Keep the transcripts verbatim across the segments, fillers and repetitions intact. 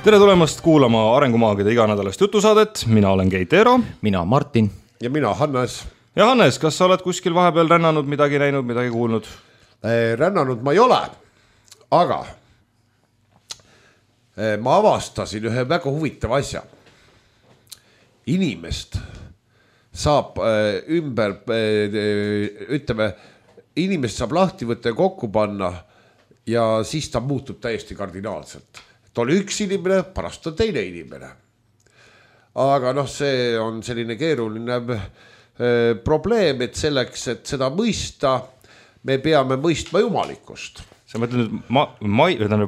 Tere tulemast kuulama Arengumaagide iganädalast jutusaadet. Mina olen Keit Eero. Mina Martin. Ja mina Hannes. Ja Hannes, kas sa oled kuskil vahepeal rännanud, midagi näinud, midagi kuulnud? Rännanud ma ei ole, aga ma avastasin ühe väga huvitava asja. Inimest saab ümber, ütleme, inimest saab lahti võtta ja kokku panna ja siis ta muutub täiesti kardinaalselt. Ta oli üks inimene, pärast on teine inimene. Aga noh, see on selline keeruline probleem, et selleks, et seda mõista, me peame mõistma jumalikkust. Sa mõtled nüüd ma, ma,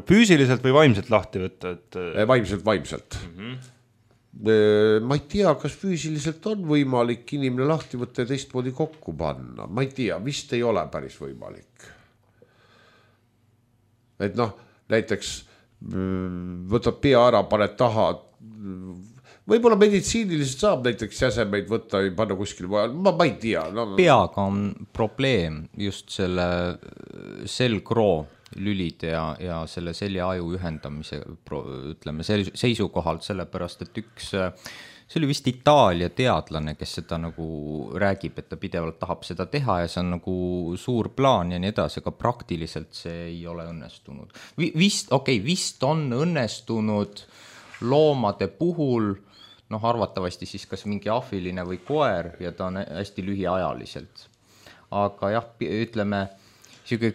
füüsiliselt või vaimselt lahti võtta? Et... Vaimselt, vaimselt. Mm-hmm. Ma ei tea, kas füüsiliselt on võimalik inimene lahti võtta ja teistmoodi kokku panna. Ma ei tea, vist ei ole päris võimalik. Et noh, näiteks võtad pea ära, paned taha. Võib-olla meditsiiniliselt saab näiteks jäsemeid võtta ja panna kuskil vahel. Ma, ma ei tea. No. Peaga on probleem just selle selgroo lülide ja, ja selle seljaaju ühendamise ütleme, seisukohalt, sellepärast, et üks, see oli vist Itaalia teadlane, kes seda nagu räägib, et ta pidevalt tahab seda teha ja see on nagu suur plaan ja nii edasi, aga praktiliselt see ei ole õnnestunud. Vist, okei, okay, vist on õnnestunud loomade puhul, noh arvatavasti siis kas mingi ahviline või koer ja ta on hästi lühiajaliselt. Aga jah, ütleme,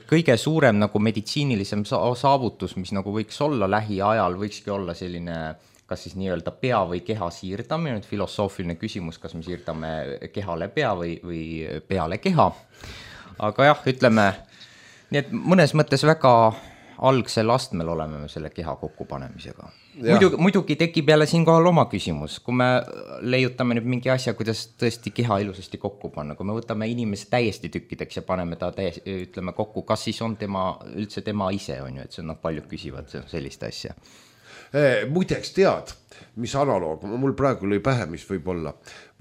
kõige suurem nagu meditsiinilisem saavutus, mis nagu võiks olla lähiajal, võikski olla selline kas siis nii-öelda pea või keha siirdamine, nüüd filosoofiline küsimus, kas me siirdame kehale pea või, või peale keha. Aga jah, ütleme, nii et mõnes mõttes väga algsel astmel oleme me selle keha kokkupanemisega. Muidugi, muidugi tekib jälle siin kohal oma küsimus, kui me leiutame nüüd mingi asja, kuidas tõesti keha ilusasti kokku panna, kui me võtame inimese täiesti tükkideks ja paneme ta täiesti, ütleme kokku, kas siis on tema, üldse tema ise on ju, et see on noh, paljud küsivad sellist asja. Muideks tead, mis analoog, mul praegu lõi pähe, mis võib olla.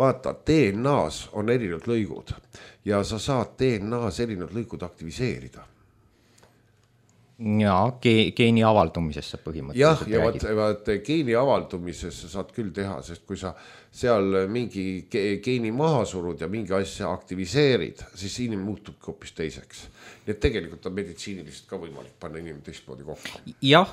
Vaata, D N A-s on erinevad lõigud ja sa saad D N A-s erinevad lõigud aktiviseerida. Ja geeni avaldumisesse põhimõtteliselt. Jah, ja vaat, vaat geeni avaldumisesse saad küll teha, sest kui sa seal mingi geeni maha surud ja mingi asja aktiviseerid, siis inimene muutub hoopis teiseks. Nii et tegelikult on meditsiiniliselt ka võimalik panna inimene teistmoodi kokku. Jah,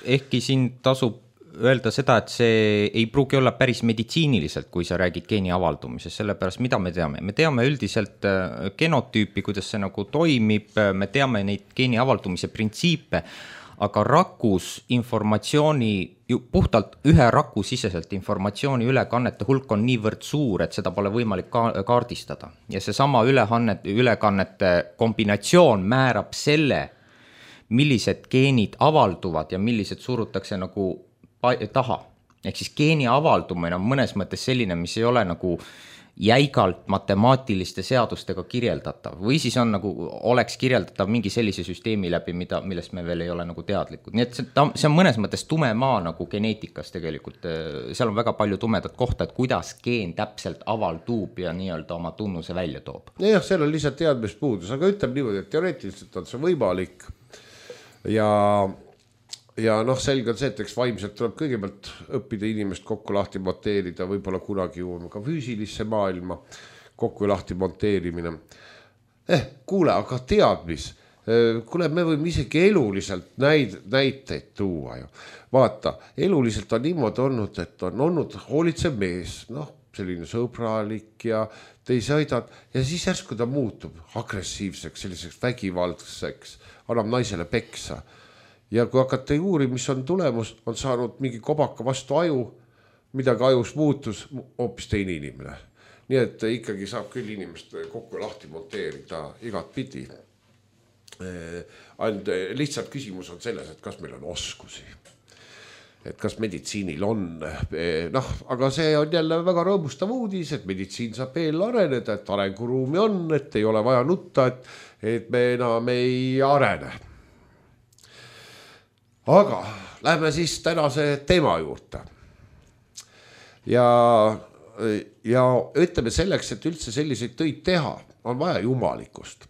ehkki siin tasub öelda seda, et see ei pruugi olla päris meditsiiniliselt, kui sa räägid geeni avaldumisest, sellepärast mida me teame? Me teame üldiselt genotüüpi, kuidas see nagu toimib, me teame neid geeni avaldumise printsiipe, aga rakus informatsiooni, puhtalt ühe raku siseselt informatsiooni ülekannete hulk on niivõrd suur, et seda pole võimalik ka- kaardistada. Ja see sama ülekannete kombinatsioon määrab selle, millised geenid avalduvad ja millised surutakse nagu taha. Ehk siis geeni avaldumine on mõnes mõttes selline, mis ei ole nagu jäigalt matemaatiliste seadustega kirjeldatav või siis on nagu, oleks kirjeldatav mingi sellise süsteemi läbi, mida, millest me veel ei ole nagu teadlikud. Nii et see, see on mõnes mõttes tume maa nagu geneetikas tegelikult. Seal on väga palju tumedat kohta, et kuidas geen täpselt avaldub ja nii-öelda oma tunnuse välja toob. Ja jah, seal on lihtsalt teadmist puudus, aga ütleb niimoodi, et teoreetiliselt on see võimalik ja Ja noh, selge on see, et eks vaimselt tuleb kõigepealt õppida inimest kokku lahti monteerida, võib-olla kunagi jõuame ka füüsilisse maailma kokku lahti monteerimine. Eh, kuule, aga tead mis? Kuule, me võime isegi eluliselt näid, näiteid tuua ju. Vaata, eluliselt on niimoodi olnud, et on olnud hoolitsev mees, noh, selline sõbralik ja teisi aidad ja siis järsku ta muutub agressiivseks, selliseks vägivaldseks, annab naisele peksa. Ja kui hakata uuri, mis on tulemus, on saanud mingi kobaka vastu aju, midagi ajus muutus, hoopis teine inimene. Nii et ikkagi saab küll inimest kokku lahti monteerida igat pidi. And lihtsalt küsimus on selles, et kas meil on oskusi. Et kas meditsiinil on, noh, aga see on jälle väga rõõmustav uudis, et meditsiin saab veel areneda, et arenguruumi on, et ei ole vaja nutta, et, et me enam ei arene. Aga lähme siis tänase teema juurde. Ja, ja ütleme selleks, et üldse selliseid töid teha, on vaja jumalikust.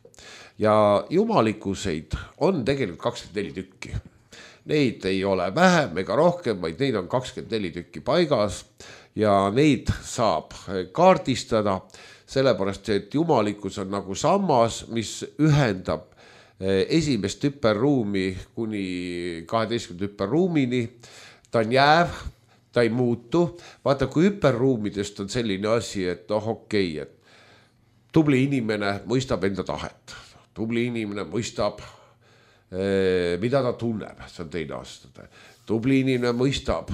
Ja jumalikuseid on tegelikult kakskümmend neli tükki. neid ei ole vähem ega rohkem, vaid neid on kakskümmend neli tükki paigas ja neid saab kaardistada, sellepärast et jumalikkus on nagu sammas, mis ühendab esimest hüperruumi kuni kaheteistkümnenda hüperruumini, ta on jääv, ta ei muutu. Vaata, kui hüperruumidest on selline asi, et noh, okei, et tubli inimene mõistab enda tahet, tubli inimene mõistab, mida ta tunneb, see on teine aasta. Tubli inimene mõistab,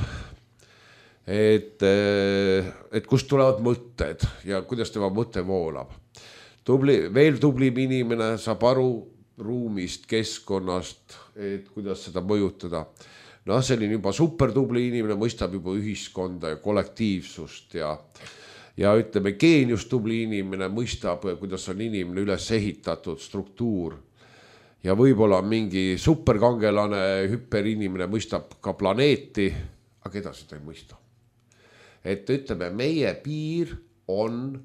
et, et kust tulevad mõtted ja kuidas tema mõte voolab. Tubli, veel tublim inimene saab aru ruumist, keskkonnast, et kuidas seda mõjutada. No selline juba supertubli inimene mõistab juba ühiskonda ja kollektiivsust ja, ja ütleme, geenius tubli inimene mõistab, kuidas on inimene üles ehitatud struktuur. Ja võib-olla mingi superkangelane, hüperinimene mõistab ka planeeti, aga edasi ta ei mõista. Et ütleme, meie piir on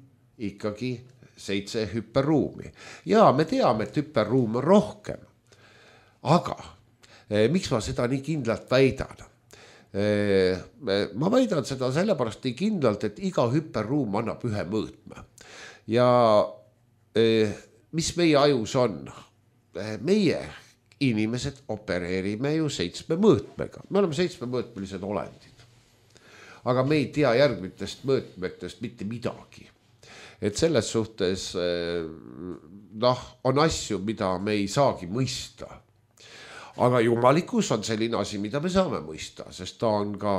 ikkagi seitse hüperruumi. Ja me teame, et hüperruum on rohkem. Aga eh, miks ma seda nii kindlalt väidan? Eh, ma väidan seda sellepärast nii kindlalt, et iga hüperruum annab ühe mõõtme. Ja eh, mis meie ajus on? Meie inimesed opereerime ju seitsme mõõtmega. Me oleme seitsme mõõtmelised olendid. Aga me ei tea järgmitest mõõtmetest mitte midagi. Et selles suhtes noh, on asju, mida me ei saagi mõista. Aga jumalikkus on selline asi, mida me saame mõista, sest ta on ka,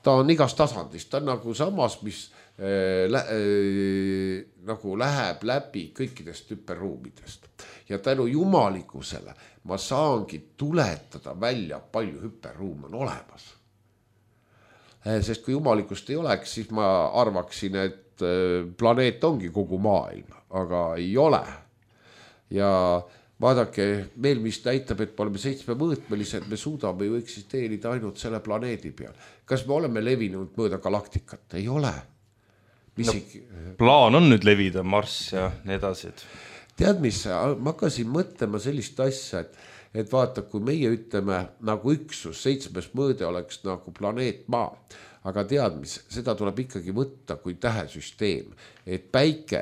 ta on igas tasandist. Ta on nagu samas, mis äh, lä, äh, nagu läheb läbi kõikidest hüperruumidest. Ja tänu jumalikkusele ma saangi tuletada välja, palju hüperruum on olemas. Sest kui jumalikkust ei oleks, siis ma arvaksin, et planeet ongi kogu maailm, aga ei ole. Ja vaadake, meil mis näitab, et me oleme seitsme mõõtmelised, me suudame ju eksisteerida ainult selle planeedi peal. Kas me oleme levinud mööda galaktikat? Ei ole. No, plaan on nüüd levida Marss ja nii edasi. Tead, mis, ma hakkasin mõtlema sellist asja, et, et vaata, kui meie ütleme nagu üksus, seitsmes mõõde oleks nagu planeet Maa, aga tead, mis, seda tuleb ikkagi võtta kui tähesüsteem, et päike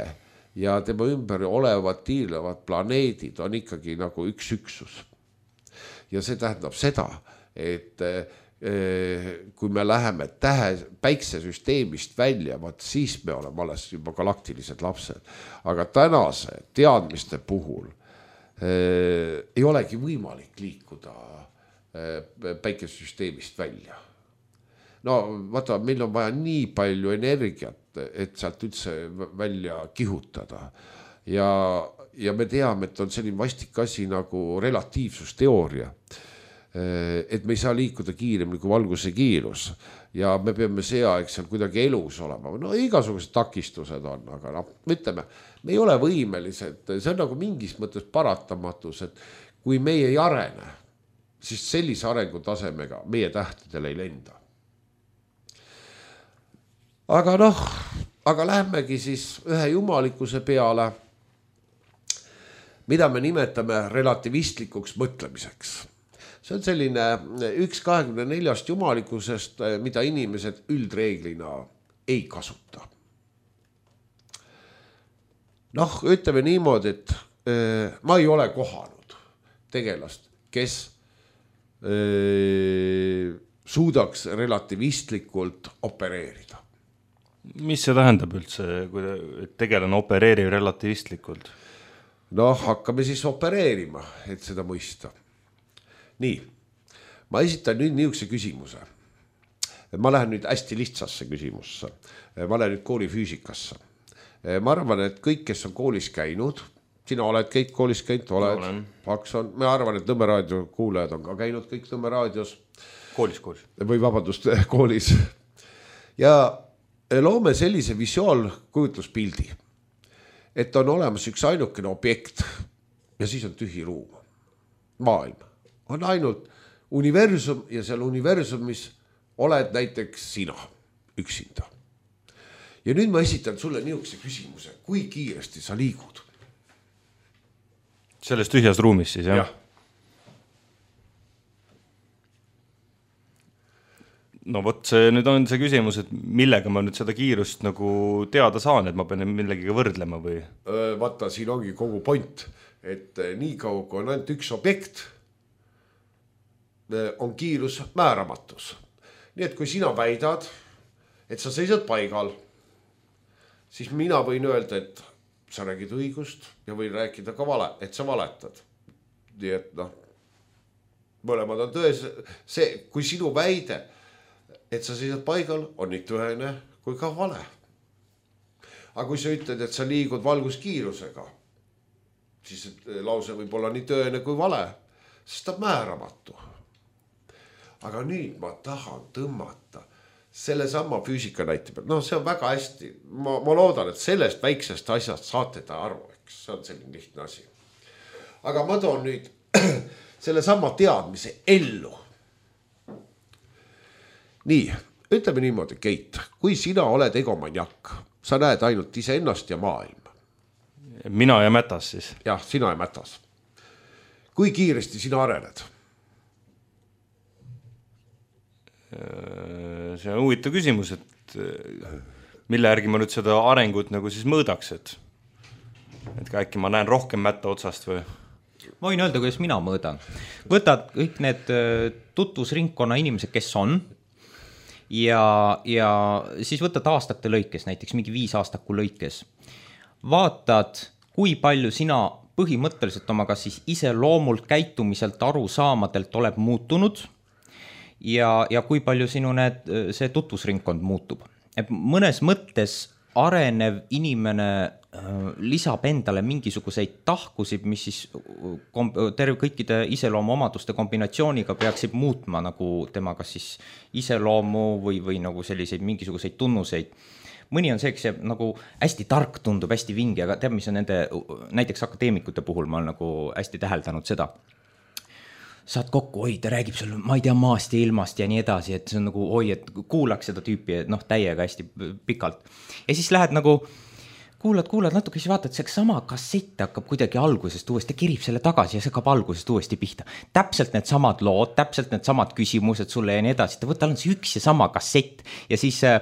ja tema ümber olevad tiirlevad planeedid on ikkagi nagu üks üksus. Ja see tähendab seda, et kui me läheme tähe, päiksesüsteemist välja, vaat siis me oleme alles juba galaktilised lapsed. Aga tänase teadmiste puhul eh, ei olegi võimalik liikuda eh, päikesesüsteemist välja. No vaata, meil on vaja nii palju energiat, et sealt üldse välja kihutada. Ja, ja me teame, et on selline vastik asi nagu relatiivsusteooria. Et me ei saa liikuda kiiremini kui valguse kiirus ja me peame see aeg seal kuidagi elus olema. No igasugused takistused on, aga no, ütleme, me ei ole võimelised, see on nagu mingis mõttes paratamatus, et kui meie ei arene, siis sellise arengutasemega meie tähtedele ei lenda. Aga noh, aga lähmegi siis ühe jumalikkuse peale, mida me nimetame relativistlikuks mõtlemiseks. See on selline üks kahekümne neljast jumalikkusest, mida inimesed üldreeglina ei kasuta. Noh, ütleme niimoodi, et äh, ma ei ole kohanud tegelast, kes äh, suudaks relativistlikult opereerida. Mis see tähendab üldse, kui tegelane opereerib relativistlikult? Noh, hakkame siis opereerima, et seda mõista. Nii, ma esitan nüüd niisuguse küsimuse. Ma lähen nüüd hästi lihtsasse küsimusse. Ma lähen nüüd kooli füüsikasse. Ma arvan, et kõik, kes on koolis käinud, sina oled kõik koolis käinud, oled, Paks on, ma arvan, et Nõmme raadio kuulajad on ka käinud kõik Nõmme raadios. Koolis, koolis. Või vabandust, koolis. Ja loome sellise visuaalkujutluspildi, et on olemas üks ainukene objekt ja siis on tühi ruum. Maailm on ainult universum ja seal universumis oled näiteks sina üksinda. Ja nüüd ma esitan sulle niisuguse küsimuse, kui kiiresti sa liigud? Selles tühjas ruumis siis, jah? jah. no vot, see nüüd on see küsimus, et millega ma nüüd seda kiirust nagu teada saan, et ma pean millegiga võrdlema või? Vaata, siin ongi kogu point, et nii kaua, kui on ainult üks objekt, on kiirus määramatus. Nii et kui sina väidad, et sa seisad paigal, siis mina võin öelda, et sa räägid õigust ja võin rääkida ka vale, et sa valetad. Nii et noh, mõlemad on tões. See, kui sinu väide, et sa seisad paigal, on nii tõene kui ka vale. Aga kui sa ütled, et sa liigud valguskiirusega, siis lause võib olla nii tõene kui vale, sest ta määramatu. Aga nüüd ma tahan tõmmata selle sama füüsika näite peal. No see on väga hästi. Ma, ma loodan, et sellest väiksest asjast saate ta aru, eks see on selline lihtne asi. Aga ma toon nüüd selle sama teadmise ellu. Nii, ütleme niimoodi, Keit, kui sina oled egomaniak, sa näed ainult iseennast ja maailma. Mina ja Mätas siis? Jah, sina ja Mätas. Kui kiiresti sina arened? See on huvitav küsimus, et mille järgi ma nüüd seda arengut nagu siis mõõdaks, et, et äkki ma näen rohkem Mätta otsast või? Ma võin öelda, kuidas mina mõõdan. Võtad kõik need tutvusringkonna inimesed, kes on, Ja, ja siis võtad aastate lõikes, näiteks mingi viis aastaku lõikes. Vaatad, kui palju sina põhimõtteliselt oma kas siis ise loomult käitumiselt aru saamadelt oleb muutunud ja, ja kui palju sinu need, see tutvusringkond muutub. Et mõnes mõttes arenev inimene lisab endale mingisuguseid tahkusid, mis siis terve kõikide iseloomu omaduste kombinatsiooniga peaksid muutma nagu tema kas siis iseloomu või, või nagu selliseid mingisuguseid tunnuseid. Mõni on see, kes nagu hästi tark tundub, hästi vingi, aga teab, mis on nende, näiteks akadeemikute puhul ma olen nagu hästi täheldanud seda. Saad kokku, oi, ta räägib sul, ma ei tea, maast ja ilmast ja nii edasi, et see on nagu, oi, et kuulaks seda tüüpi, noh, täiega hästi pikalt. Ja siis lähed nagu kuulad, kuulad natuke, siis vaatad, see sama kassett hakkab kuidagi algusest uuesti, kirib selle tagasi ja see hakkab algusest uuesti pihta. Täpselt need samad lood, täpselt need samad küsimused sulle ja nii edasi. Ta võtta on see üks ja sama kassett ja siis äh,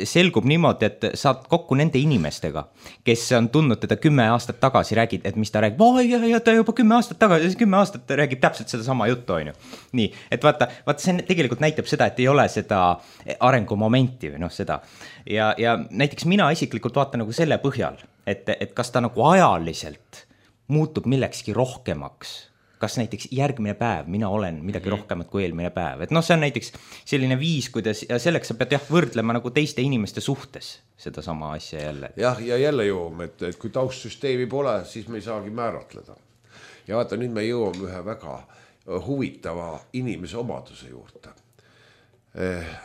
selgub niimoodi, et saad kokku nende inimestega, kes on tundnud teda kümme aastat tagasi, räägid, et mis ta räägib. Oi, ja, ja ta juba kümme aastat tagasi, kümme aastat räägib täpselt seda sama juttu, on ju. Nii, et vaata, vaata, see tegelikult näitab seda, et ei ole seda arengumomenti või noh, seda. Ja, ja näiteks mina isiklikult vaatan nagu selle põhjal, et, et kas ta nagu ajaliselt muutub millekski rohkemaks. Kas näiteks järgmine päev mina olen midagi rohkemat kui eelmine päev. Et noh, see on näiteks selline viis, kuidas, ja selleks sa pead jah võrdlema nagu teiste inimeste suhtes seda sama asja jälle. Jah, ja jälle jõuame, et, et kui taustsüsteemi pole, siis me ei saagi määratleda. Ja vaata, nüüd me jõuame ühe väga huvitava inimese omaduse juurde. Eh,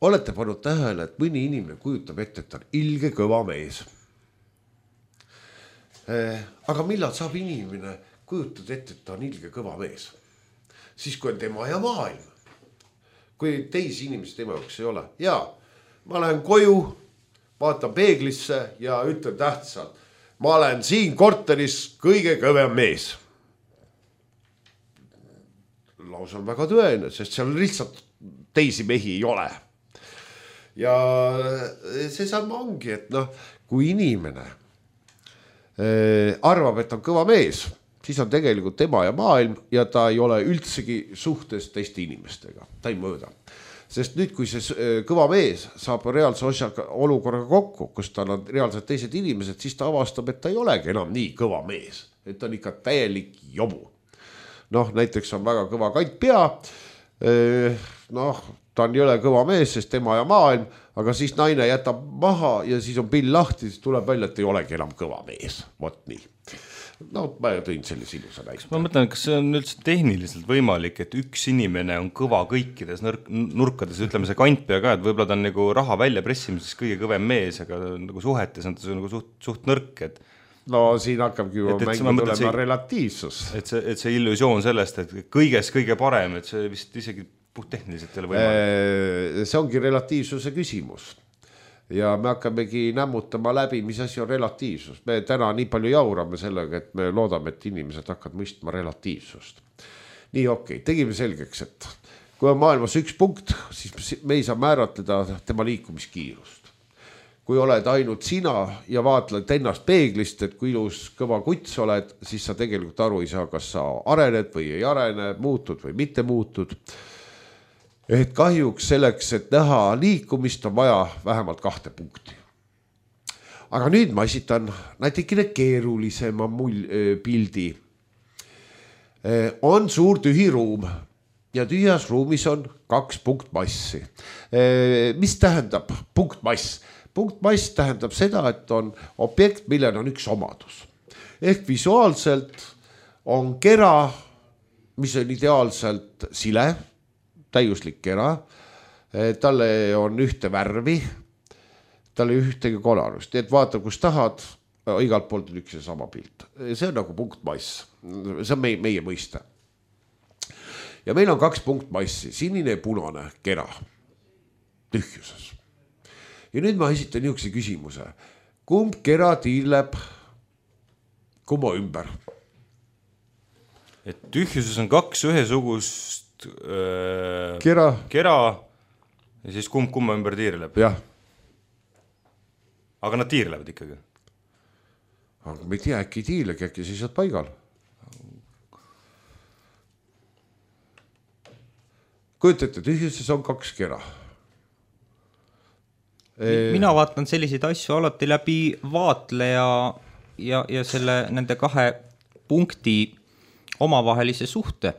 olete pannud tähele, et mõni inimene kujutab ette, et on ilge kõva mees. Eh, aga millal saab inimene kujutad ette, et ta on ilge kõva mees. Siis kui on tema ja maailm. Kui teisi inimesi tema jaoks ei ole. Ja ma lähen koju, vaatan peeglisse ja ütlen tähtsalt. Ma olen siin korteris kõige kõvem mees. Laus on väga tõene, sest seal lihtsalt teisi mehi ei ole. Ja see sama ongi, et noh, kui inimene arvab, et on kõva mees, siis on tegelikult tema ja maailm ja ta ei ole üldsegi suhtes teiste inimestega. Ta ei mõõda. Sest nüüd, kui see kõva mees saab reaalse osjaga olukorraga kokku, kus tal on reaalselt teised inimesed, siis ta avastab, et ta ei olegi enam nii kõva mees. Et ta on ikka täielik jobu. Noh, näiteks on väga kõva kant pea. Noh, ta on jõle kõva mees, sest tema ja maailm, aga siis naine jätab maha ja siis on pill lahti, siis tuleb välja, et ei olegi enam kõva mees. Vot nii. No, ma tõin sellise ilusa näite. Ma mõtlen, kas see on üldse tehniliselt võimalik, et üks inimene on kõva kõikides nurkades, ütleme see kantpea ka, et võib-olla ta on nagu raha välja pressimises kõige kõvem mees, aga nagu suhetes on ta nagu suht, suht nõrk, et no siin hakkabki juba mängu tulema see, relatiivsus. Et see, et see illusioon sellest, et kõiges kõige parem, et see vist isegi puht tehniliselt ei ole võimalik. See ongi relatiivsuse küsimus. Ja me hakkamegi nämmutama läbi, mis asi on relatiivsus. Me täna nii palju jaurame sellega, et me loodame, et inimesed hakkavad mõistma relatiivsust. Nii okei, okay. Tegime selgeks, et kui on maailmas üks punkt, siis me ei saa määratleda tema liikumiskiirust. Kui oled ainult sina ja vaatled ennast peeglist, et kui ilus kõva kuts oled, siis sa tegelikult aru ei saa, kas sa arened või ei arene, muutud või mitte muutud. Et kahjuks selleks, et näha liikumist, on vaja vähemalt kahte punkti. Aga nüüd ma esitan natikene keerulisema mul- pildi. On suur tühi ruum ja tühjas ruumis on kaks punktmassi. Mis tähendab punktmass? Punktmass tähendab seda, et on objekt, millel on üks omadus. Ehk visuaalselt on kera, mis on ideaalselt sile, täiuslik kera. Talle on ühte värvi, talle ühtegi kolarust. Et vaata, kus tahad, igalt poolt on üks ja sama pilt. See on nagu punktmass. See on meie, meie mõiste. Ja meil on kaks punktmassi, sinine ja punane kera tühjuses. Ja nüüd ma esitan niisuguse küsimuse. Kumb kera tiirleb kumma ümber? Et tühjuses on kaks ühesugust öö, kera. kera ja siis kumb kumma ümber tiirleb? Jah. Aga nad tiirlevad ikkagi? Aga me ei tea, äkki tiirlegi, äkki seisad paigal. Kujutate, tühjuses on kaks kera. Mina vaatan selliseid asju alati läbi vaatleja ja, ja selle nende kahe punkti omavahelise suhte.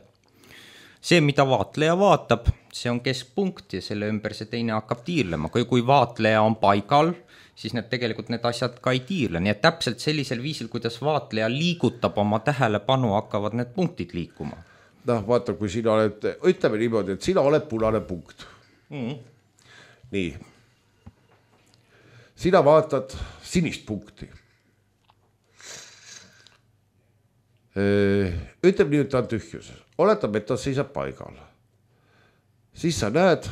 See, mida vaatleja vaatab, see on keskpunkt ja selle ümber see teine hakkab tiirlema. Kui, kui vaatleja on paigal, siis need tegelikult need asjad ka ei tiirle. Nii et täpselt sellisel viisil, kuidas vaatleja liigutab oma tähelepanu, hakkavad need punktid liikuma. Noh, vaata, kui sina oled, ütleme niimoodi, et sina oled punane punkt. Mm. Nii. Sina vaatad sinist punkti. Ütleme nii, et ta on tühjuses. Oletab, et ta seisab paigal. Siis sa näed,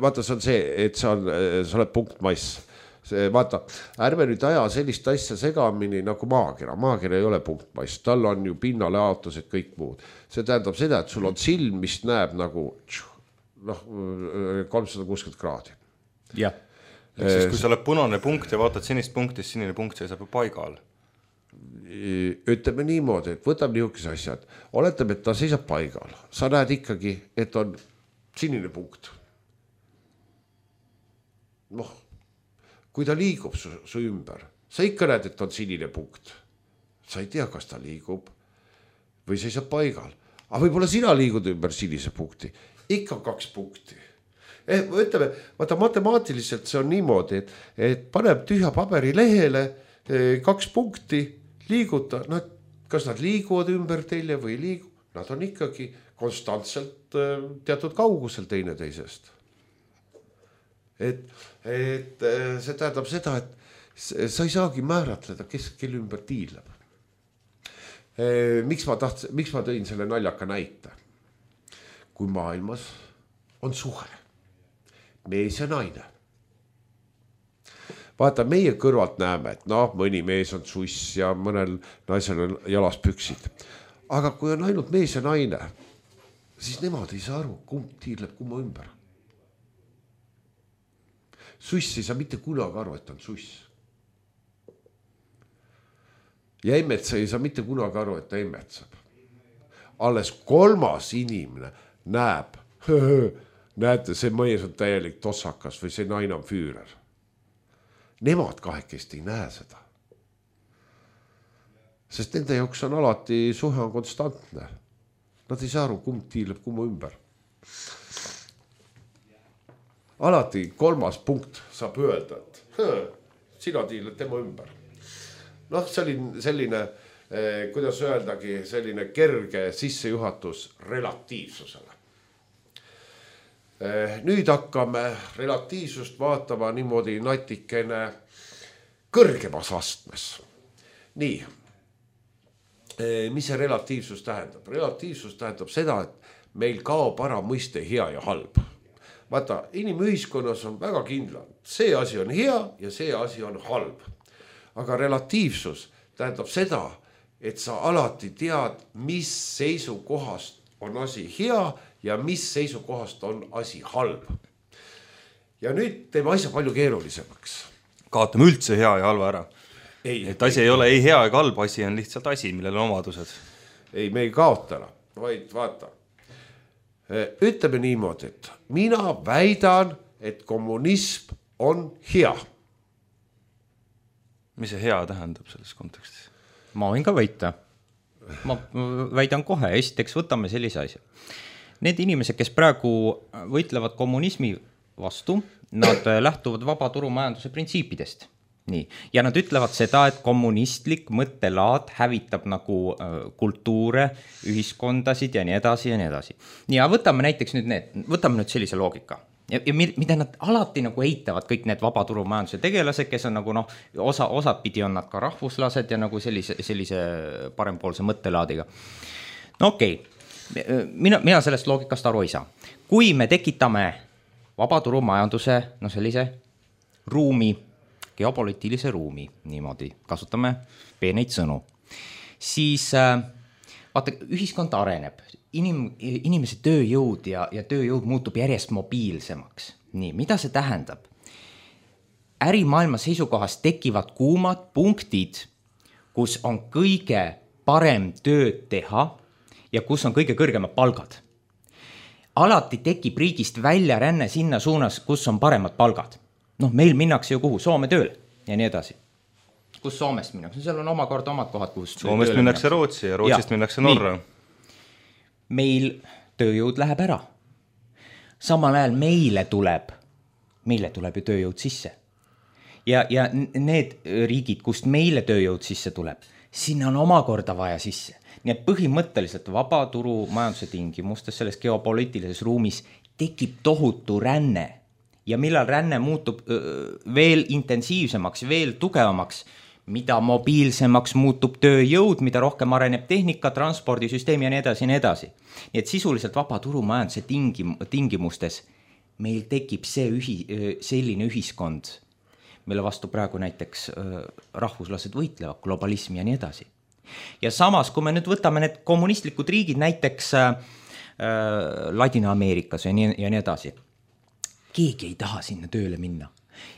vaata, see on see, et sa, on, sa oled punktmass. See, vaata, ärme nüüd aja sellist asja segamini nagu maakera. Maakera ei ole punktmass, tal on ju pinnale aotused kõik muud. See tähendab seda, et sul on silm, mis näeb nagu noh, kolmsada kuuskümmend kraadi. Jah. Ehk siis, kui sa oled punane punkt ja vaatad sinist punktist, sinine punkt seisab ju paigal. Ütleme niimoodi, et võtab niisuguse asjad. Oletab, et ta seisab paigal. Sa näed ikkagi, et on sinine punkt. Noh, kui ta liigub su, su ümber, sa ikka näed, et on sinine punkt. Sa ei tea, kas ta liigub või seisab paigal. Aga võib-olla sina liigud ümber sinise punkti. Ikka kaks punkti. Eh, ütleme, vaata matemaatiliselt see on niimoodi, et, et paneb tühja paberi lehele eh, kaks punkti, liiguta, nad, kas nad liiguvad ümber teile või liigu, nad on ikkagi konstantselt eh, teatud kaugusel teine teisest. Et, et eh, see tähendab seda, et sa ei saagi määratleda, kes kelle ümber tiileb. Eh, miks ma tahtsin, miks ma tõin selle naljaka näite? Kui maailmas on suhe, mees ja naine. Vaata, meie kõrvalt näeme, et noh, mõni mees on suss ja mõnel naisel on jalas püksid. Aga kui on ainult mees ja naine, siis nemad ei saa aru, kumb tiirleb kumma ümber. Suss ei saa mitte kunagi aru, et on suss. Ja emmetsa ei saa mitte kunagi aru, et ta emmetsab. Alles kolmas inimene näeb, näete, see mees on täielik tossakas või see naine on füürer. Nemad kahekest ei näe seda. Sest nende jaoks on alati suhe on konstantne. Nad ei saa aru, kumb tiileb kumma ümber. Alati kolmas punkt saab öelda, et sina tiiled tema ümber. Noh, selline, selline eh, kuidas öeldagi, selline kerge sissejuhatus relatiivsusele. Nüüd hakkame relatiivsust vaatama niimoodi natikene kõrgemas astmes. Nii, mis see relatiivsus tähendab? Relatiivsus tähendab seda, et meil kaob ära mõiste hea ja halb. Vaata, inimühiskonnas on väga kindlad. See asi on hea ja see asi on halb. Aga relatiivsus tähendab seda, et sa alati tead, mis seisukohast on asi hea ja mis seisukohast on asi halb. Ja nüüd teeme asja palju keerulisemaks. Kaotame üldse hea ja halva ära. Ei, et asi ei, ei ole ei hea ega halb, asi on lihtsalt asi, millel on omadused. Ei, me ei kaota ära, vaid vaata. Ütleme niimoodi, et mina väidan, et kommunism on hea. Mis see hea tähendab selles kontekstis? Ma võin ka võita. Ma väidan kohe, esiteks võtame sellise asja. Need inimesed, kes praegu võitlevad kommunismi vastu, nad lähtuvad vabaturumajanduse printsiipidest. Nii. Ja nad ütlevad seda, et kommunistlik mõttelaad hävitab nagu kultuure, ühiskondasid ja nii edasi ja nii edasi. Ja võtame näiteks nüüd need, võtame nüüd sellise loogika. Ja, ja mida nad alati nagu eitavad, kõik need vabaturumajanduse tegelased, kes on nagu noh, osa, osad pidi on nad ka rahvuslased ja nagu sellise, sellise parempoolse mõttelaadiga. No okei, okay. mina, mina sellest loogikast aru ei saa. Kui me tekitame vabaturumajanduse, no sellise ruumi, geopoliitilise ruumi, niimoodi kasutame peeneid sõnu, siis vaata, ühiskond areneb, Inim, inimese tööjõud ja, ja tööjõud muutub järjest mobiilsemaks. Nii, mida see tähendab? Ärimaailma seisukohast tekivad kuumad punktid, kus on kõige parem tööd teha ja kus on kõige kõrgemad palgad. Alati tekib riigist välja ränne sinna suunas, kus on paremad palgad. Noh, meil minnakse ju kuhu? Soome tööle ja nii edasi. Kus Soomest minnakse? Seal on omakorda omad kohad, kus Soomest minnakse Rootsi ja Rootsist ja, minnakse Norra. Nii. Meil tööjõud läheb ära. Samal ajal meile tuleb, meile tuleb ju tööjõud sisse. Ja, ja need riigid, kust meile tööjõud sisse tuleb, sinna on omakorda vaja sisse. Nii et põhimõtteliselt vabaturu majanduse tingimustes selles geopoliitilises ruumis tekib tohutu ränne. Ja millal ränne muutub veel intensiivsemaks, veel tugevamaks, mida mobiilsemaks muutub tööjõud, mida rohkem areneb tehnika, transpordisüsteem ja nii edasi ja nii edasi. Nii et sisuliselt vabaturumajanduse tingim, tingimustes meil tekib see ühi, selline ühiskond, mille vastu praegu näiteks rahvuslased võitlevad, globalism ja nii edasi. Ja samas, kui me nüüd võtame need kommunistlikud riigid näiteks äh, Ladina-Ameerikas ja nii, ja nii edasi, keegi ei taha sinna tööle minna.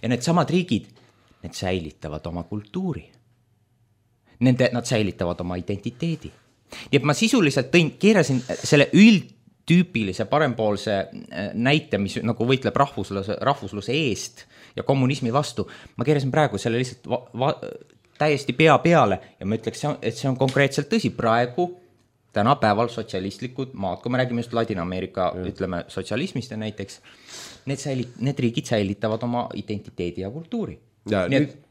Ja need samad riigid, need säilitavad oma kultuuri. Nende, nad säilitavad oma identiteedi. Nii et ma sisuliselt tõin, keerasin selle üldtüüpilise parempoolse näite, mis nagu võitleb rahvusluse, rahvusluse eest ja kommunismi vastu. Ma keerasin praegu selle lihtsalt va, va, täiesti pea peale ja ma ütleks, et see on konkreetselt tõsi. Praegu tänapäeval sotsialistlikud maad, kui me räägime just Ladina-Ameerika, mm. ütleme sotsialismist ja näiteks, need, säilit, need riigid säilitavad oma identiteedi ja kultuuri. Ja, nii nüüd... et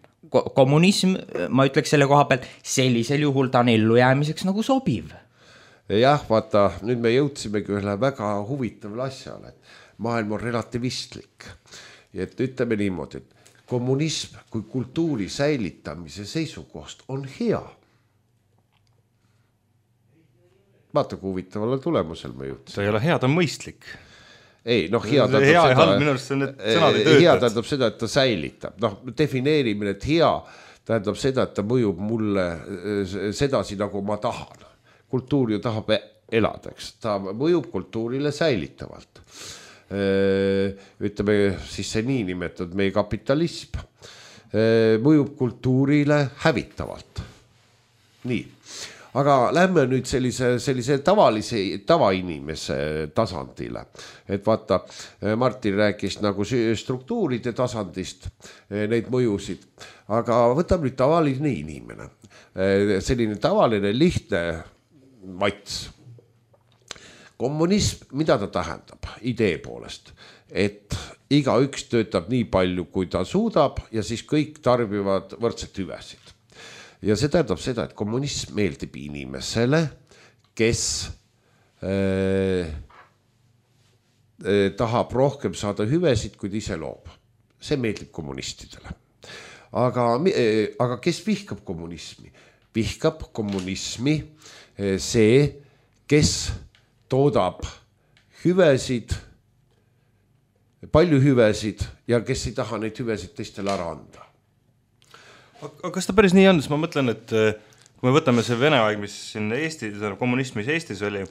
kommunism, ma ütleks selle koha pealt, sellisel juhul ta on ellujäämiseks nagu sobiv. Jah, vaata, nüüd me jõudsimegi ühele väga huvitavale asjale, et maailm on relativistlik. Et ütleme niimoodi, et kommunism kui kultuuri säilitamise seisukohast on hea. Vaata, kui huvitavale tulemusel me jõudsim. Ta ei ole hea, ta on mõistlik. Ei, noh, hea tähendab hea seda, halb, minu arust on need sõnad ei töötad. Hea tähendab seda, et ta säilitab. Noh, defineerimine, et hea tähendab seda, et ta mõjub mulle sedasi, nagu ma tahan. Kultuur ju tahab elada, eks. Ta mõjub kultuurile säilitavalt. Ütleme siis see nii nimetatud meie kapitalism mõjub kultuurile hävitavalt. Nii. Aga lähme nüüd sellise, sellise tavalise tavainimese tasandile. Et vaata, Martin rääkis nagu struktuuride tasandist, neid mõjusid. Aga võtab nüüd tavaline inimene. Selline tavaline lihtne mats. Kommunism, mida ta tähendab idee poolest? Et iga üks töötab nii palju, kui ta suudab ja siis kõik tarbivad võrdset hüvesid. Ja see tähendab seda, et kommunism meeldib inimesele, kes äh, äh, tahab rohkem saada hüvesid, kui ta ise loob. See meeldib kommunistidele. Aga, äh, aga kes vihkab kommunismi? Vihkab kommunismi äh, see, kes toodab hüvesid, palju hüvesid ja kes ei taha neid hüvesid teistele ära anda. Aga kas ta päris nii on, siis ma mõtlen, et kui me võtame see Vene aeg, mis siin Eestis, kommunism, mis Eestis oli,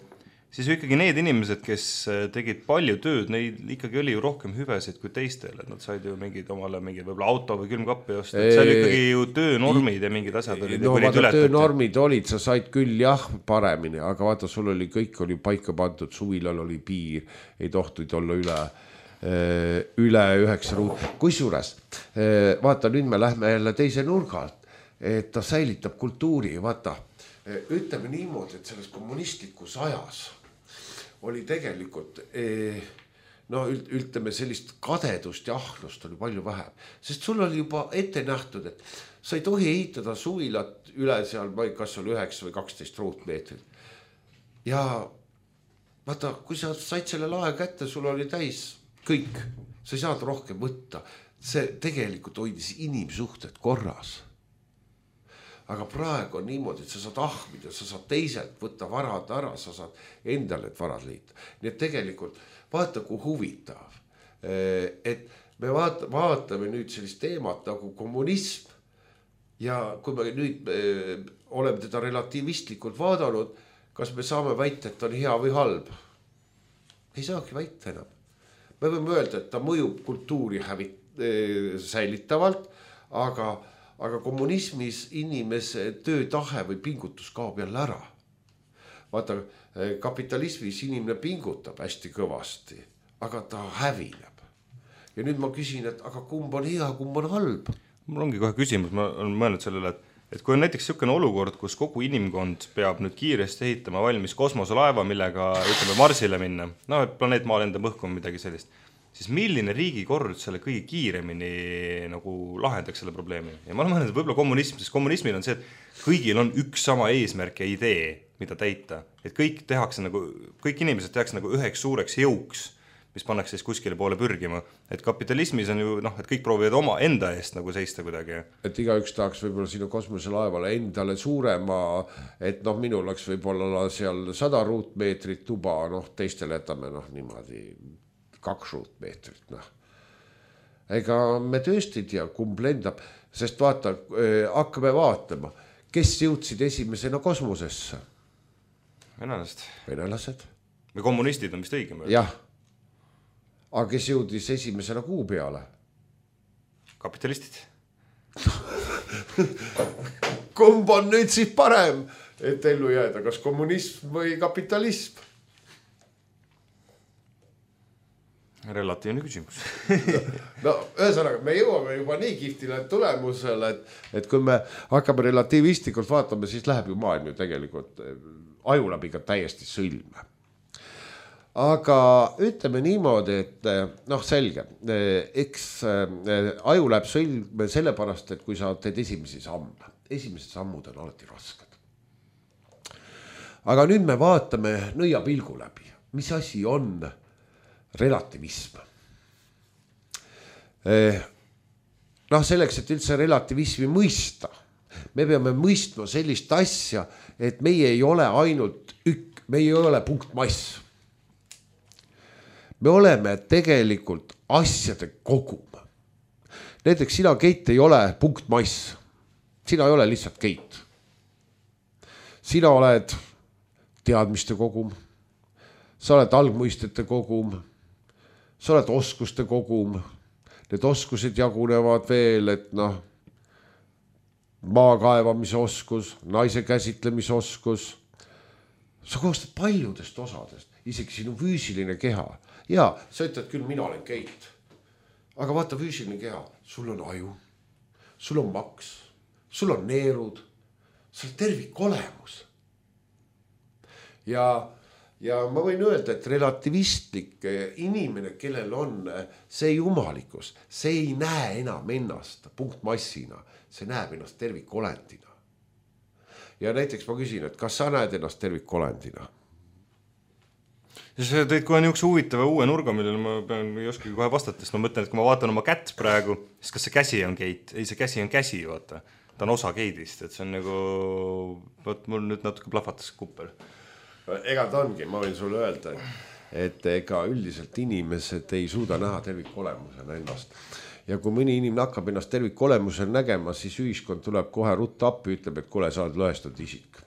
siis ju ikkagi need inimesed, kes tegid palju tööd, neil ikkagi oli ju rohkem hüvesid kui teistel, et nad said ju mingid omale mingi võib-olla auto või külmkappi osta, et see oli ikkagi ju töönormid ja mingid asjad olid. No vaata, töönormid olid, sa said küll jah paremini, aga vaata, sul oli kõik oli paika pandud, suvilal oli piir, ei tohtuid olla üle üle üheksa ruut. Kusjuures, vaata, nüüd me lähme jälle teise nurgalt, et ta säilitab kultuuri, vaata, ütleme niimoodi, et selles kommunistlikus ajas oli tegelikult, no ütleme sellist kadedust ja ahnust oli palju vähem, sest sul oli juba ette nähtud, et sa ei tohi ehitada suvilat üle seal, kas oli üheksa või kaksteist ruutmeetrit. Ja vaata, kui sa said selle lae kätte, sul oli täis kõik, sa ei saanud rohkem võtta. See tegelikult hoidis inimsuhted korras. Aga praegu on niimoodi, et sa saad ahmida, sa saad teiselt võtta varad ära, sa saad endale et varad liita. Nii et tegelikult vaata, kui huvitav, et me vaata, vaatame nüüd sellist teemat nagu kommunism ja kui me nüüd oleme teda relatiivistlikult vaadanud, kas me saame väita, et on hea või halb? Ei saagi väita enam. Me võime öelda, et ta mõjub kultuuri hävit, säilitavalt, aga, aga kommunismis inimese töötahe või pingutus kaob jälle ära. Vaata, kapitalismis inimene pingutab hästi kõvasti, aga ta hävineb. Ja nüüd ma küsin, et aga kumb on hea, kumb on halb? Mul ongi kohe küsimus, ma olen mõelnud sellele, et et kui on näiteks niisugune olukord, kus kogu inimkond peab nüüd kiiresti ehitama valmis kosmoselaeva, millega ütleme Marsile minna, no et planeet Maa lendab õhku või midagi sellist, siis milline riigikord selle kõige kiiremini nagu lahendaks selle probleemi? Ja ma olen mõelnud, et võib-olla kommunism, sest kommunismil on see, et kõigil on üks sama eesmärk ja idee, mida täita. Et kõik tehakse nagu, kõik inimesed tehakse nagu üheks suureks jõuks, mis pannakse siis kuskile poole pürgima. Et kapitalismis on ju, noh, et kõik proovivad oma enda eest nagu seista kuidagi. Et igaüks tahaks võib-olla sinu kosmoselaevale endale suurema, et noh, minul oleks võib-olla seal sada ruutmeetrit tuba, noh, teistele jätame noh, niimoodi kaks ruutmeetrit, noh. Ega me tõesti ei tea, kumb lendab, sest vaata, hakkame vaatama, kes jõudsid esimesena kosmosesse? Venelased. Venelased. Või kommunistid on vist õigem. Jah. Aga kes jõudis esimesena kuu peale? Kapitalistid. Kumb on nüüd siis parem, et ellu jääda, kas kommunism või kapitalism? Relatiivne küsimus. No, ühesõnaga, me jõuame juba nii kihvtile tulemusele, et, et kui me hakkame relatiivistlikult vaatama, siis läheb ju maailm ju tegelikult aju läbi ka täiesti sõlme. Aga ütleme niimoodi, et noh, selge, eks aju läheb sõlme sellepärast, et kui sa teed esimesi samme, esimesed sammud on alati rasked. Aga nüüd me vaatame nõiapilgu läbi, mis asi on relativism. Noh, selleks, et üldse relativismi mõista, me peame mõistma sellist asja, et meie ei ole ainult ük, me ei ole punktmass. Me oleme tegelikult asjade kogum. Näiteks sina, Keit, ei ole punktmass. Sina ei ole lihtsalt Keit. Sina oled teadmiste kogum. Sa oled algmõistete kogum. Sa oled oskuste kogum. Need oskused jagunevad veel, et noh, maakaevamise oskus, naise käsitlemise oskus. Sa koostad paljudest osadest, isegi sinu füüsiline keha. Ja, sa ütled küll, mina olen Keit. Aga vaata, füüsiline keha, sul on aju, sul on maks, sul on neerud, sul on tervik olemus. Ja, ja ma võin öelda, et relativistlik inimene, kellel on see jumalikkus, see ei näe enam ennast punktmassina, see näeb ennast tervikolendina. Ja näiteks ma küsin, et kas sa näed ennast tervikolendina? Sa teed kohe niisuguse huvitava uue nurga, millele ma pean ei oskagi kohe vastata, sest ma mõtlen, et kui ma vaatan oma kätt praegu, siis kas see käsi on Keit? Ei, see käsi on käsi, vaata. Ta on osa Keidist, et see on nagu, võt, mul nüüd natuke plahvatas kuppel. Ega ta ongi, ma võin sulle öelda, et ega üldiselt inimesed ei suuda näha tervikolemusena ennast. Ja kui mõni inimene hakkab ennast tervikolemusena nägema, siis ühiskond tuleb kohe rutta appi, ütleb, et kuule, sa oled lõhestatud isik.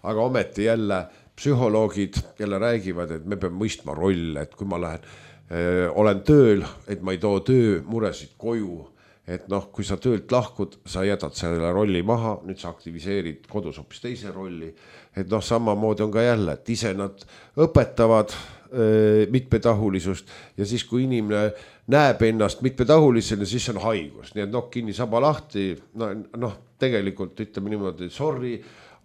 Aga ometi jälle psühholoogid jälle räägivad, et me peame mõistma rolle, et kui ma lähen, öö, olen tööl, et ma ei too töömuresid koju, et noh, kui sa töölt lahkud, sa jätad selle rolli maha, nüüd sa aktiviseerid kodus hoopis teise rolli, et noh, samamoodi on ka jälle, et ise nad õpetavad öö, mitmetahulisust ja siis, kui inimene näeb ennast mitmetahulisena, siis on haigus, nii et noh, kinni saba lahti, no, noh, tegelikult ütleme niimoodi, sorry,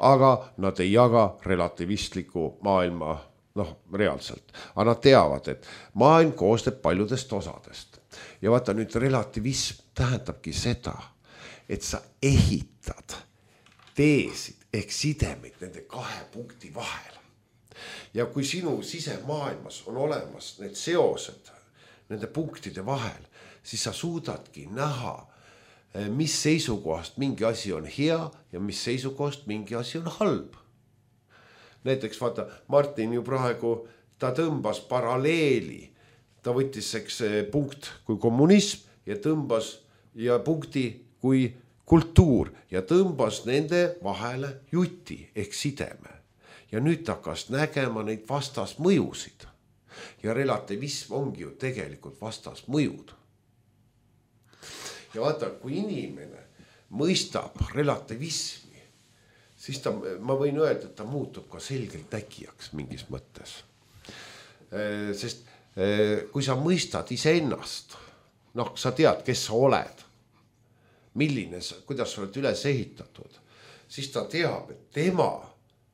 aga nad ei jaga relativistliku maailma, noh, reaalselt. Aga nad teavad, et maailm koostab paljudest osadest. Ja vaata nüüd relativism tähendabki seda, et sa ehitad teesid ehk sidemid nende kahe punkti vahel. Ja kui sinu sisemaailmas on olemas need seosed nende punktide vahel, siis sa suudadki näha, mis seisukohast mingi asi on hea ja mis seisukohast mingi asi on halb. Näiteks vaata, Martin ju praegu, ta tõmbas paralleeli, ta võttis eks punkt kui kommunism ja tõmbas ja punkti kui kultuur ja tõmbas nende vahele juti ehk sideme. Ja nüüd ta hakkas nägema neid vastasmõjusid. Ja relativism ongi ju tegelikult vastasmõjud. Ja vaata, kui inimene mõistab relativismi, siis ta, ma võin öelda, et ta muutub ka selgelt nägijaks mingis mõttes. Sest kui sa mõistad iseennast, noh, sa tead, kes sa oled, milline, kuidas sa oled üles ehitatud, siis ta teab, et tema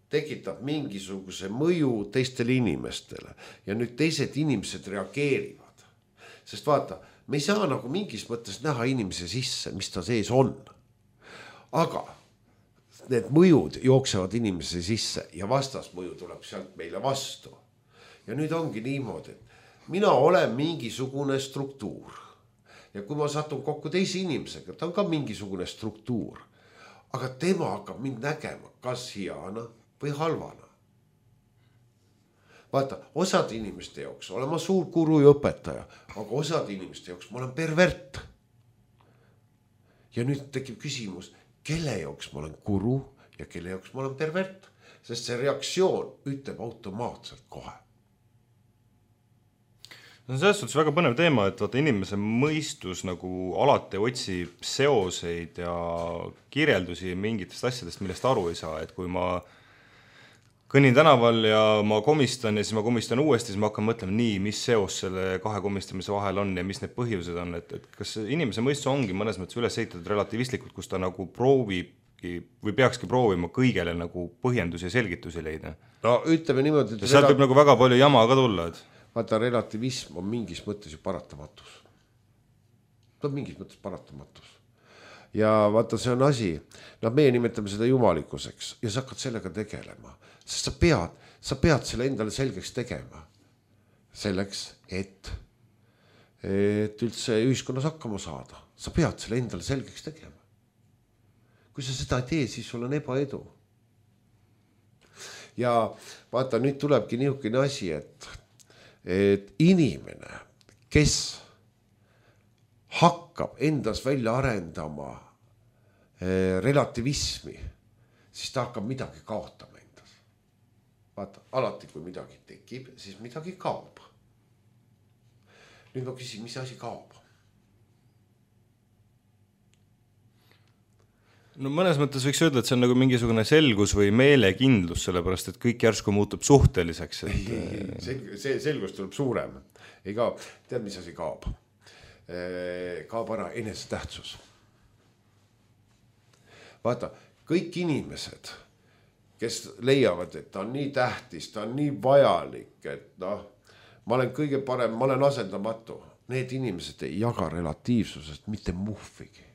tekitab mingisuguse mõju teistele inimestele ja nüüd teised inimesed reageerivad. Sest vaata, me ei saa nagu mingis mõttes näha inimese sisse, mis ta sees on. Aga need mõjud jooksevad inimese sisse ja vastasmõju tuleb sealt meile vastu. Ja nüüd ongi niimoodi, et mina olen mingisugune struktuur. Ja kui ma satun kokku teise inimesega, ta on ka mingisugune struktuur. Aga tema hakkab mind nägema kas heana või halvana. Vaata, osad inimeste jaoks olen ma suur guru ja õpetaja, aga osad inimeste jaoks ma olen pervert. Ja nüüd tekib küsimus, kelle jaoks ma olen guru ja kelle jaoks ma olen pervert. Sest see reaktsioon ütleb automaatselt kohe. See on selles suhtes väga põnev teema, et vaata, inimese mõistus nagu alati otsib seoseid ja kirjeldusi mingitest asjadest, millest aru ei saa, et kui ma kõnnin tänaval ja ma komistan ja siis ma komistan uuesti, siis ma hakkan mõtlema nii, mis seos selle kahe komistamise vahel on ja mis need põhjused on, et, et kas inimese mõistus ongi mõnes mõttes üles ehitatud relativistlikult, kus ta nagu proovibki või peakski proovima kõigele nagu põhjendusi ja selgitusi leida. No ütleme niimoodi, et sealt võib nagu väga palju jama ka tulla, et vaata, relativism on mingis mõttes ju paratamatus. Ta on mingis mõttes paratamatus. Ja vaata, see on asi, no meie nimetame seda jumalikkuseks ja sa hakkad sellega tegelema. Sest sa pead, sa pead selle endale selgeks tegema. Selleks, et, et üldse ühiskonnas hakkama saada. Sa pead selle endale selgeks tegema. Kui sa seda ei tee, siis sul on ebaedu. Ja vaata, nüüd tulebki niisugune asi, et, et inimene, kes hakkab endas välja arendama eh, relativismi, siis ta hakkab midagi kaotama. Vaata, alati kui midagi tekib, siis midagi kaob. Nüüd ma küsin, mis asi kaob? No mõnes mõttes võiks öelda, et see on nagu mingisugune selgus või meelekindlus, sellepärast, et kõik järsku muutub suhteliseks. Et... Ei, ei, selg, see selgus tuleb suurem. Ei kaob. Tead, mis asi kaob? Kaob ära enesetähtsus. Vaata, kõik inimesed... kes leiavad, et ta on nii tähtis, ta on nii vajalik, et noh, ma olen kõige parem, ma olen asendamatu. Need inimesed ei jaga relatiivsusest mitte muhvigi.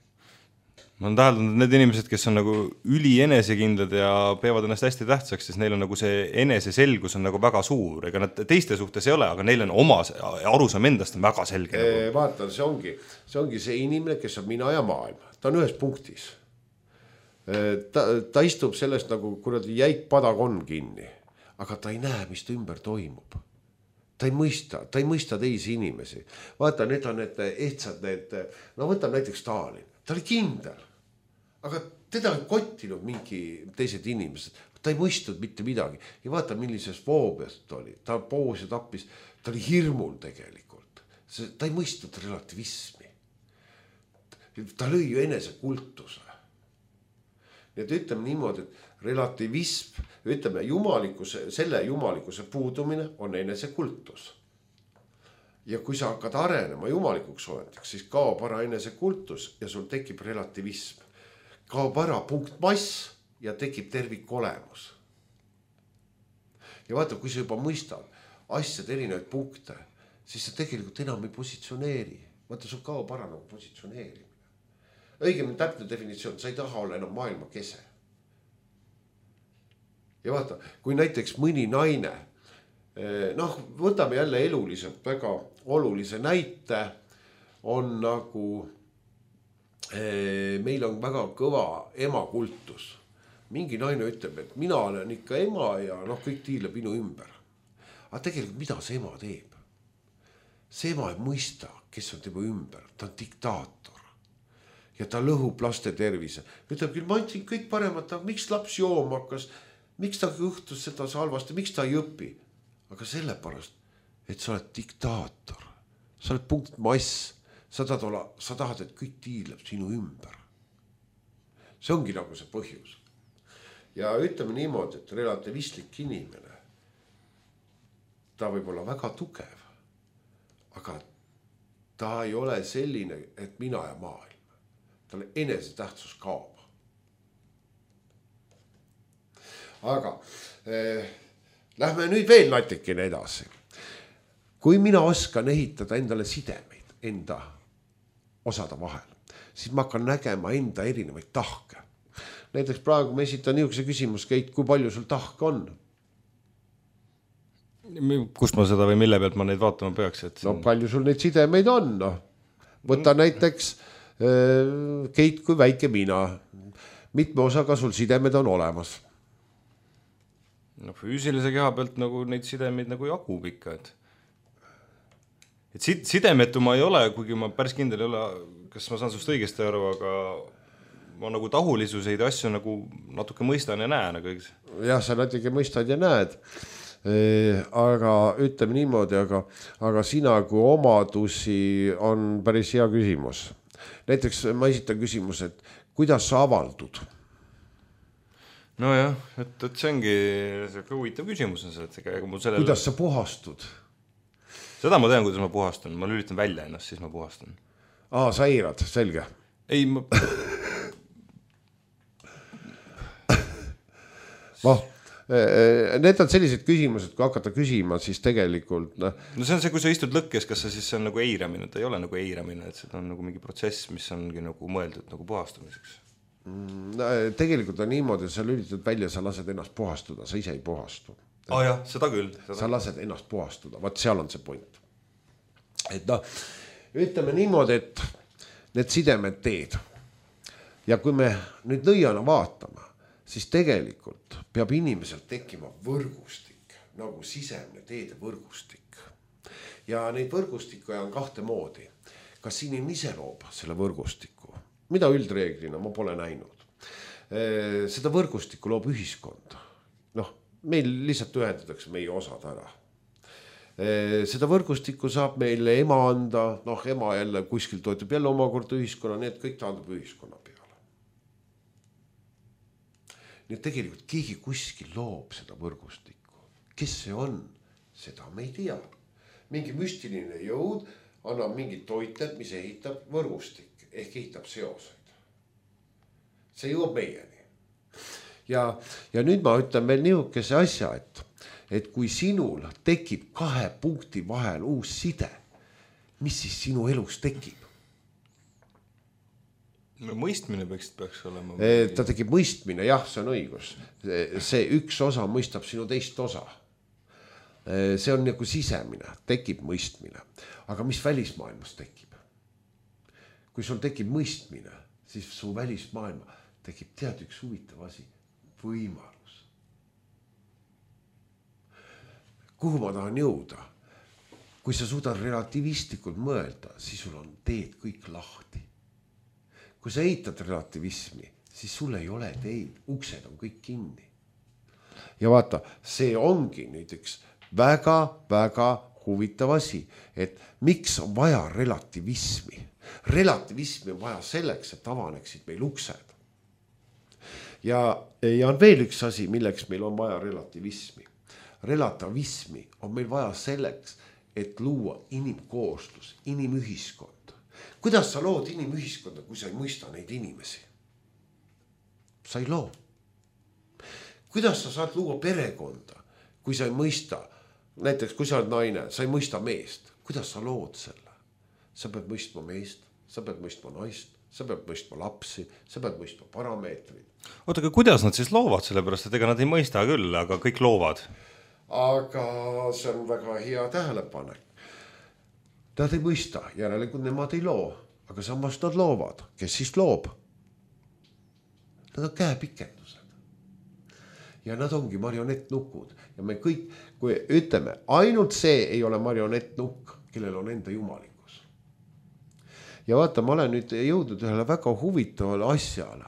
Ma olen täheldanud, need inimesed, kes on nagu üli enesekindlad ja peavad ennast hästi tähtsaks, siis neil on nagu see eneseselgus on nagu väga suur. Ega nad teiste suhtes ei ole, aga neil on oma arusaam endast on väga selge. E, vaata, see ongi, see ongi see inimene, kes on mina ja maailm. Ta on ühes punktis. Ta, ta istub sellest nagu kuradi jäik padakon kinni, aga ta ei näe, mis ta ümber toimub. Ta ei mõista, ta ei mõista teisi inimesi. Vaata, need on need ehtsad, need, no võtab näiteks Stalin. Ta oli kindel, aga teda ei kottinud mingi teised inimesed. ta ei mõistnud mitte midagi ja vaata, millises foobiast ta oli, ta poos ja tappis, ta oli hirmul tegelikult, ta ei mõistnud relativismi, ta lõi ju enesekultuse. Nii et ütleme niimoodi, et relativism, ütleme jumalikuse, selle jumalikuse puudumine on enesekultus. Ja kui sa hakkad arenema jumalikuks oletiks, siis kaob ära enesekultus ja sul tekib relativism. Kaob ära punktmass ja tekib tervik olemus. Ja vaata, kui sa juba mõistad asjad erinevaid punkte, siis sa tegelikult enam ei positsioneeri. Vaata, sul kaob ära nagu positsioneerimine. Õigemini täpne definitsioon, sa ei taha olla enam maailma kese. Ja vaata, kui näiteks mõni naine, noh, võtame jälle eluliselt väga olulise näite, on nagu, meil on väga kõva emakultus. Mingi naine ütleb, et mina olen ikka ema ja noh, kõik tiileb minu ümber. Aga tegelikult mida see ema teeb? See ema ei mõista, kes on tema ümber, ta on diktaator. Ja ta lõhub laste tervise. Ütleb küll, ma andsin kõik paremat, aga miks laps jooma hakkas, miks ta õhtus seda salvast ja miks ta ei õpi? Aga sellepärast, et sa oled diktaator, sa oled punktmass, sa tahad, olla, sa tahad, et kõik tiileb sinu ümber. See ongi nagu see põhjus. Ja ütleme niimoodi, et relativistlik inimene, ta võib olla väga tugev, aga ta ei ole selline, et mina ja maailm. Talle enese tähtsus kaob. Aga eh, lähme nüüd veel natikene edasi. Kui mina oskan ehitada endale sidemeid enda osade vahel, siis ma hakkan nägema enda erinevaid tahke. Näiteks praegu ma esitan niisuguse küsimus, Keit, kui palju sul tahke on? Kust ma seda või mille pealt ma neid vaatama peaks? Et no palju sul neid sidemeid on? No? Võta näiteks Keit kui väike mina. Mitme osaga sul sidemed on olemas? No füüsilise keha pealt nagu neid sidemeid nagu jagub ikka. Et, et sidemetu ma ei ole, kuigi ma päris kindel ei ole, kas ma saan sust õigesti aru, aga ma nagu tahulisuseid asju nagu natuke mõistan ja näen. Aga... jah, sa natuke mõistad ja näed. E, aga ütleme niimoodi, aga, aga sina kui omadusi on päris hea küsimus. Näiteks ma esitan küsimus, et kuidas sa avaldud? No jah, et, et see ongi see huvitav küsimus on see, et ega mul sellele... Kuidas sa puhastud? Seda ma tean, kuidas ma puhastan. Ma lülitan välja ennast, siis ma puhastan. Aa, sa eirad, selge. Ei, ma... noh, need on sellised küsimused, kui hakata küsima, siis tegelikult... No, no see on see, kui sa istud lõkkes, kas see siis on nagu eiramine? Ta ei ole nagu eiramine, et see on nagu mingi protsess, mis ongi nagu mõeldud nagu puhastamiseks. No, tegelikult on niimoodi, et sa lülitad välja, sa lased ennast puhastuda, sa ise ei puhastu. Ah jah, seda küll. Seda... sa lased ennast puhastuda, vaat seal on see point. Et noh, ütleme niimoodi, et need sidemed teed. Ja kui me nüüd nõiana vaatame, siis tegelikult peab inimesel tekkima võrgustik, nagu sisemne teede võrgustik. Ja neid võrgustikke on kahte moodi. Kas inimene ise loob selle võrgustiku? Mida üldreeglina ma pole näinud. Seda võrgustikku loob ühiskond. Noh, meil lihtsalt ühendatakse meie osad ära. Seda võrgustikku saab meile ema anda, noh, ema jälle kuskil toetub jälle omakorda ühiskonna, nii et kõik taandub ühiskonna peale. Nii et tegelikult keegi kuskil loob seda võrgustikku. Kes see on? Seda me ei tea. Mingi müstiline jõud annab mingit toitet, mis ehitab võrgustik, ehk ehitab seoseid. See jõuab meieni. Ja, ja nüüd ma ütlen veel niisuguse asja, et, et kui sinul tekib kahe punkti vahel uus side, mis siis sinu elus tekib? No, mõistmine peaks, peaks olema. Ta tekib mõistmine, jah, see on õigus. See üks osa mõistab sinu teist osa. See on nagu sisemine, tekib mõistmine. Aga mis välismaailmas tekib? Kui sul tekib mõistmine, siis su välismaailma tekib tead üks huvitav asi, võimalus. Kuhu ma tahan jõuda? Kui sa suudad relativistlikult mõelda, siis sul on teed kõik lahti. Kui sa eitad relativismi, siis sul ei ole teid, uksed on kõik kinni. ja vaata, see ongi näiteks väga-väga huvitav asi, et miks on vaja relativismi. Relativismi on vaja selleks, et avaneksid meil uksed. Ja, ja on veel üks asi, milleks meil on vaja relativismi. Relativismi on meil vaja selleks, et luua inimkooslus, inimühiskond. Kuidas sa lood inimühiskonda, kui sa ei mõista neid inimesi? Sa ei loo. Kuidas sa saad luua perekonda, kui sa ei mõista, näiteks kui sa oled naine, sa ei mõista meest, kuidas sa lood selle? Sa pead mõistma meest, sa pead mõistma naist, sa pead mõistma lapsi, sa pead mõistma parameetrid. Oota, aga kuidas nad siis loovad, sellepärast, et ega nad ei mõista küll, aga kõik loovad? Aga see on väga hea tähelepanek. Nad ei mõista, järelikult nemad ei loo, aga samas nad loovad. Kes siis loob? Nad on käepikendused. Ja nad ongi marionettnukud. Ja me kõik, kui ütleme, ainult see ei ole marionettnukk, kellel on enda jumalikkus. Ja vaata, ma olen nüüd jõudnud ühele väga huvitavale asjale.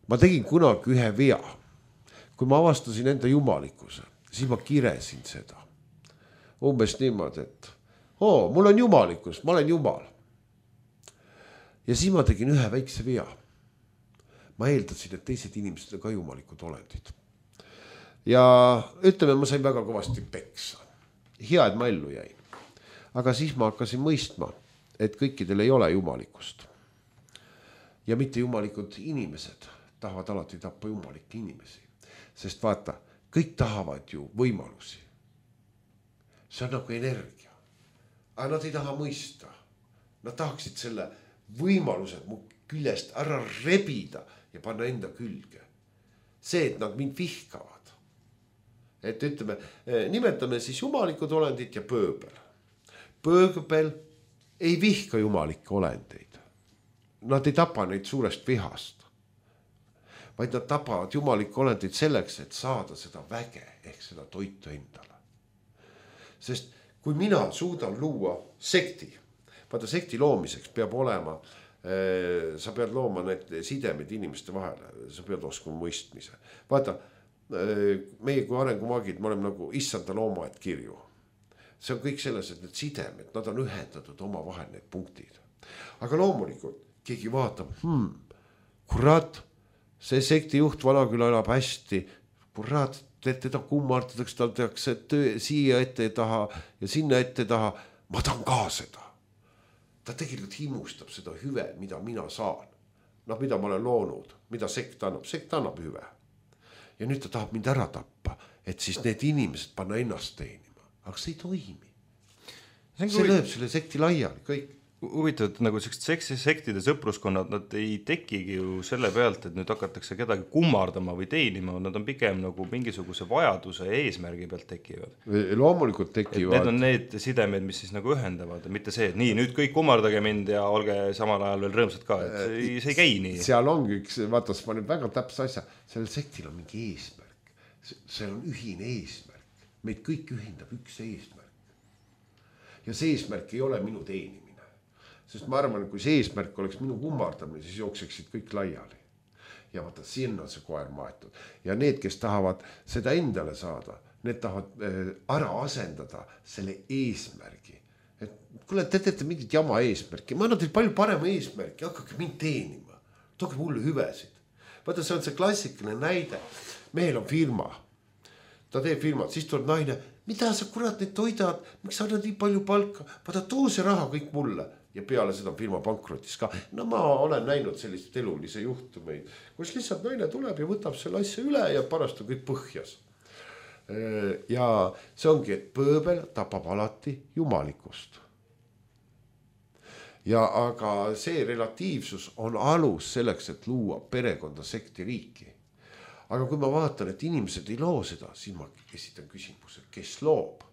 Ma tegin kunagi ühe vea. Kui ma avastasin enda jumalikkuse, siis ma kiresin seda. Umbes niimoodi, et oo, mul on jumalikkus, ma olen jumal. Ja siis ma tegin ühe väikse vea. Ma eeldasin, et teised inimesed on ka jumalikud olendid. Ja ütleme, ma sain väga kõvasti peksa. Hea, et ma ellu jäin. Aga siis ma hakkasin mõistma, et kõikidel ei ole jumalikkust. Ja mitte jumalikud inimesed tahavad alati tappa jumalikke inimesi. Sest vaata, kõik tahavad ju võimalusi. See on nagu energia. Aga nad ei taha mõista. Nad tahaksid selle võimalused mu küljest ära rebida ja panna enda külge. See, et nad mind vihkavad. Et ütleme, nimetame siis jumalikud olendid ja pööbel. Pööbel ei vihka jumalikke olendeid. Nad ei tapa neid suurest vihast. Vaid nad tapavad jumalikke olendid selleks, et saada seda väge ehk seda toitu endale. Sest kui mina suudan luua sekti, vaata sekti loomiseks peab olema, sa pead looma need sidemed inimeste vahele, sa pead oskama mõistmise. Vaata, meie kui arengumaagid, me oleme nagu issanda loomaaed kirju. See on kõik selles, et need sidemed, nad on ühendatud oma vahel need punktid. Aga loomulikult keegi vaatab, hmm, kurat, see sekti juht Vanaküla elab hästi, kurat, teda kummardatakse, tal tehakse töö siia ette taha ja sinna ette taha. Ma tahan ka seda. Ta tegelikult himustab seda hüve, mida mina saan. Noh, mida ma olen loonud, mida sekt annab. Sekt annab hüve. Ja nüüd ta tahab mind ära tappa, et siis need inimesed panna ennast teenima. Aga see ei toimi. See, see lööb selle sekti laiali, kõik. Huvitav, et nagu sellised sektide sõpruskonnad, nad ei tekigi ju selle pealt, et nüüd hakatakse kedagi kummardama või teenima, nad on pigem nagu mingisuguse vajaduse ja eesmärgi pealt tekivad. Loomulikult tekivad. Need on need sidemed, mis siis nagu ühendavad, mitte see, et nii, nüüd kõik kummardage mind ja olge samal ajal veel rõõmsad ka, et see, see ei käi nii. Seal ongi üks, vaata, ma nüüd väga täpse asja, sellel sektil on mingi eesmärk. See on ühine eesmärk. Meid kõik ühendab üks eesmärk. Ja see eesmärk ei ole minu teenimine. Sest ma arvan, kui see eesmärk oleks minu kummardamine, siis jookseksid kõik laiali. Ja vaata, siin on see koer maetud. Ja need, kes tahavad seda endale saada, need tahavad ära asendada selle eesmärgi. Et kuule, te teete mingit jama eesmärki. Ma annan teil palju parema eesmärki, hakkake mind teenima. Tooge mulle hüvesid. Vaata, see on see klassikaline näide. Mehel on firma. Ta teeb firmat, siis tuleb naine. Mida sa kurat neid toidad? Miks sa annad nii palju palka? Vaata, too see raha kõik mulle. Ja peale seda firma pankrotis ka. No ma olen näinud sellist elulise juhtumeid, kus lihtsalt naine tuleb ja võtab selle asja üle ja parast on kõik põhjas. Ja see ongi, et pööbel tapab alati jumalikust. Ja aga see relatiivsus on alus selleks, et luua perekonda, sekti, riiki. Aga kui ma vaatan, et inimesed ei loo seda, siis ma esitan küsimuse, kes loob?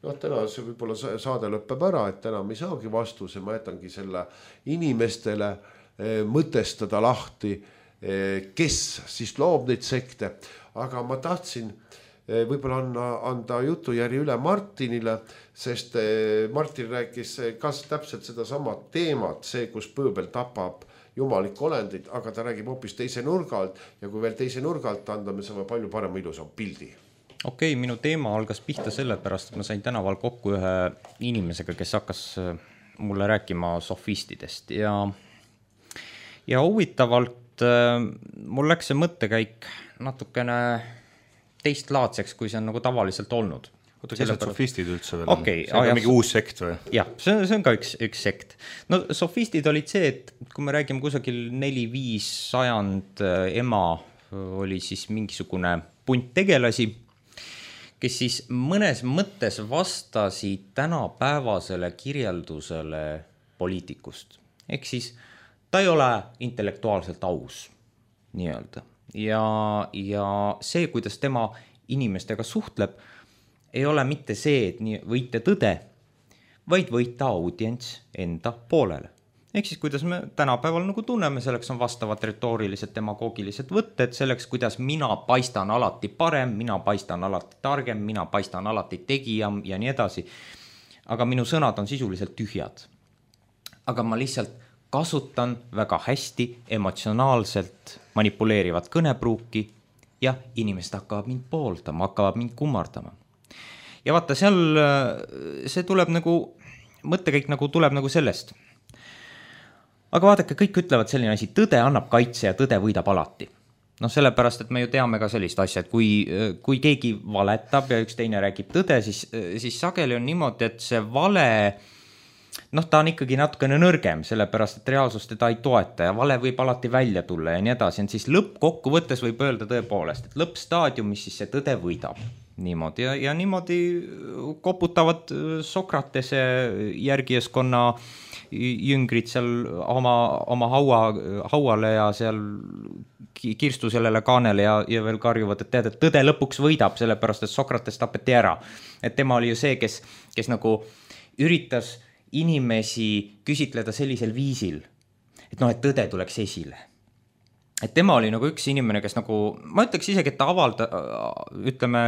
No täna see võib-olla saade lõppeb ära, et täna me ei saagi vastuse, ma jätangi selle inimestele mõtestada lahti, kes siis loob neid sekte. Aga ma tahtsin võib-olla anda, anda jutujärgi üle Martinile, sest Martin rääkis kas täpselt seda sama teemat, see, kus pööbel tapab jumalikku olendit, aga ta räägib hoopis teise nurga alt ja kui veel teise nurga alt anda, me saame palju parema ilusam pildi. Okei, okay, minu teema algas pihta sellepärast, et ma sain tänaval kokku ühe inimesega, kes hakkas mulle rääkima sofistidest ja, ja huvitavalt mul läks see mõttekäik natukene teistlaadseks, kui see on nagu tavaliselt olnud. Oota, kes need sofistid üldse veel okay, on? See on ka mingi uus sekt või? Jah, see on, see on ka üks, üks sekt. No sofistid olid see, et kui me räägime kusagil neli-viis sajand ema oli siis mingisugune punt tegelasi, kes siis mõnes mõttes vastasid tänapäevasele kirjeldusele poliitikust. Ehk siis ta ei ole intellektuaalselt aus, nii-öelda. Ja, ja see, kuidas tema inimestega suhtleb, ei ole mitte see, et nii võite tõde, vaid võita audients enda poolele. Ehk siis, kuidas me tänapäeval nagu tunneme, selleks on vastavad retoorilised demagoogilised võtted, selleks, kuidas mina paistan alati parem, mina paistan alati targem, mina paistan alati tegijam ja nii edasi. Aga minu sõnad on sisuliselt tühjad. Aga ma lihtsalt kasutan väga hästi emotsionaalselt manipuleerivat kõnepruuki ja inimesed hakkavad mind pooldama, hakkavad mind kummardama. Ja vaata, seal see tuleb nagu, mõttekäik nagu tuleb nagu sellest. Aga vaadake, kõik ütlevad selline asi, tõde annab kaitse ja tõde võidab alati. No sellepärast, et me ju teame ka sellist asja, et kui, kui keegi valetab ja üks teine räägib tõde, siis, siis sageli on niimoodi, et see vale noh, ta on ikkagi natukene nõrgem, sellepärast, et reaalsus teda ei toeta ja vale võib alati välja tulla ja nii edasi. Siis lõppkokkuvõttes võib öelda tõepoolest, et lõppstaadiumis siis see tõde võidab. Niimoodi ja, ja niimoodi koputavad Sokratese järgijaskonna jüngrid seal oma, oma haua, hauale ja seal kirstu sellele kaanele ja, ja veel karjuvad, et tead, et tõde lõpuks võidab, sellepärast, et Sokrates tapeti ära. Et tema oli ju see, kes, kes nagu üritas inimesi küsitleda sellisel viisil, et noh, et tõde tuleks esile. Et tema oli nagu üks inimene, kes nagu, ma ütleks isegi, et ta avalda, ütleme,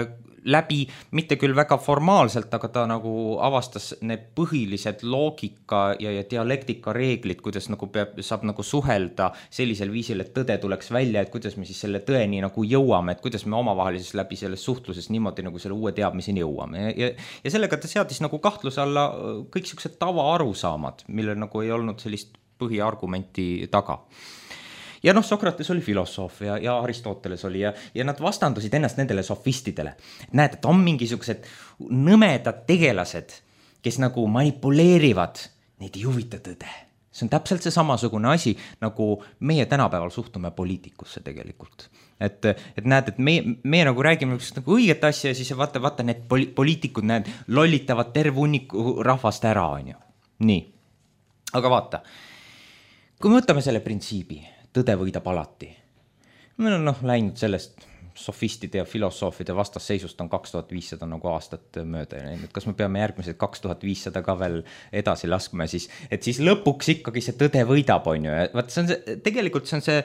läbi, mitte küll väga formaalselt, aga ta nagu avastas need põhilised loogika ja, ja dialektika reeglid, kuidas nagu peab, saab nagu suhelda sellisel viisil, et tõde tuleks välja, et kuidas me siis selle tõeni nagu jõuame, et kuidas me omavahelises läbi selles suhtluses niimoodi nagu selle uue teadmiseni jõuame. Ja, ja, ja sellega ta seadis nagu kahtluse alla kõik siuksed tava arusaamad, millel nagu ei olnud sellist põhiargumenti taga. Ja noh, Sokrates oli filosoof ja, ja Aristoteles oli ja, ja nad vastandusid ennast nendele sofistidele. Näed, et on mingisugused nõmedad tegelased, kes nagu manipuleerivad, neid ei huvita tõde. See on täpselt see samasugune asi, nagu meie tänapäeval suhtume poliitikusse tegelikult. Et, et näed, et meie, meie nagu räägime nagu õiget asja ja siis vaata, vaata need poli- poliitikud näed, lollitavad terve hunniku rahvast ära, on ju. Nii. Aga vaata, kui me võtame selle printsiibi, tõde võidab alati. Meil on noh, läinud sellest sofistide ja filosoofide vastasseisust on kaks tuhat viissada nagu aastat mööda. Et kas me peame järgmised kaks tuhat viissada ka veel edasi laskma, siis, et siis lõpuks ikkagi see tõde võidab, on ju. Vaat see on see, tegelikult see on see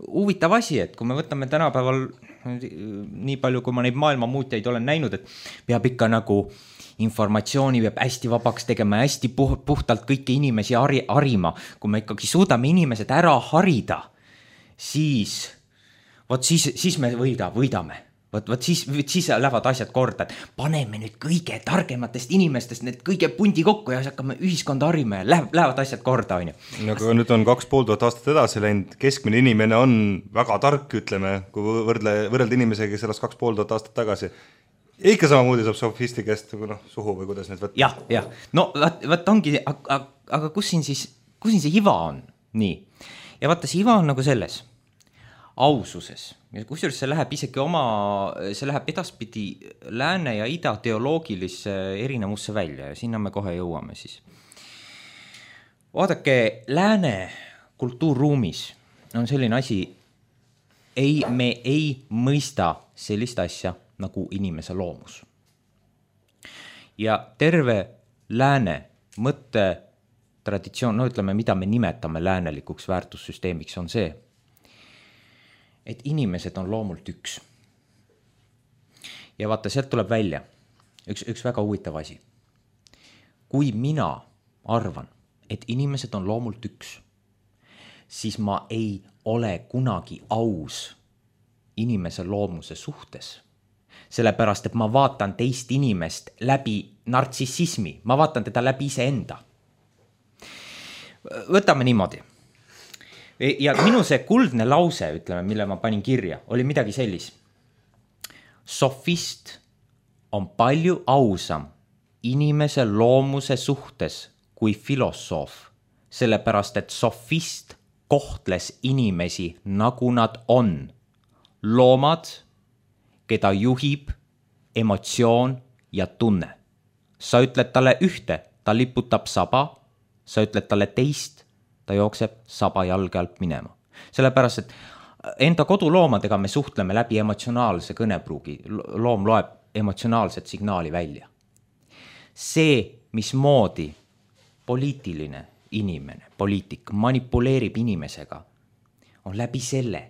huvitav asi, et kui me võtame tänapäeval nii palju, kui ma neid maailma muutjaid olen näinud, et peab ikka nagu informatsiooni peab hästi vabaks tegema, hästi puhtalt kõiki inimesi hari, harima. Kui me ikkagi suudame inimesed ära harida, siis, võt siis, siis me võida, võidame. Võt, võt siis, siis lähevad asjad korda, et paneme nüüd kõige targematest inimestest need kõige pundi kokku ja hakkame ühiskonda harima ja läheb, lähevad asjad korda, on ju. No, aga nüüd on kaks pool tuhat aastat edasi läinud, keskmine inimene on väga tark, ütleme, kui võrdle, võrrelda inimesega, kes elas kaks pool tuhat aastat tagasi. Ikka samamoodi saab sofisti käest no, suhu või kuidas need võtta? Jah, jah. No vaat, vaat ongi, aga, aga kus siin siis, kus siin see iva on? Nii. Ja vaata, see iva on nagu selles aususes. Ja kusjuures see läheb isegi oma, see läheb edaspidi lääne ja ida teoloogilisse erinevusse välja ja sinna me kohe jõuame siis. Vaadake, lääne kultuurruumis on selline asi, ei, me ei mõista sellist asja nagu inimese loomus. Ja terve lääne mõtte traditsioon, no ütleme, mida me nimetame läänelikuks väärtussüsteemiks, on see, et inimesed on loomult üks. ja vaata, sealt tuleb välja üks, üks väga huvitav asi. Kui mina arvan, et inimesed on loomult üks, siis ma ei ole kunagi aus inimese loomuse suhtes. Sellepärast, et ma vaatan teist inimest läbi nartsissismi, ma vaatan teda läbi iseenda. Võtame niimoodi. Ja minu see kuldne lause, ütleme, mille ma panin kirja, oli midagi sellis. Sofist on palju ausam inimese loomuse suhtes kui filosoof, sellepärast, et sofist kohtles inimesi, nagu nad on. Loomad, keda juhib emotsioon ja tunne. Sa ütled talle ühte, ta liputab saba, sa ütled talle teist, ta jookseb saba jalge alt minema. Sellepärast, et enda koduloomadega me suhtleme läbi emotsionaalse kõnepruugi. Loom loeb emotsionaalset signaali välja. See, mismoodi poliitiline inimene, poliitik manipuleerib inimesega, on läbi selle,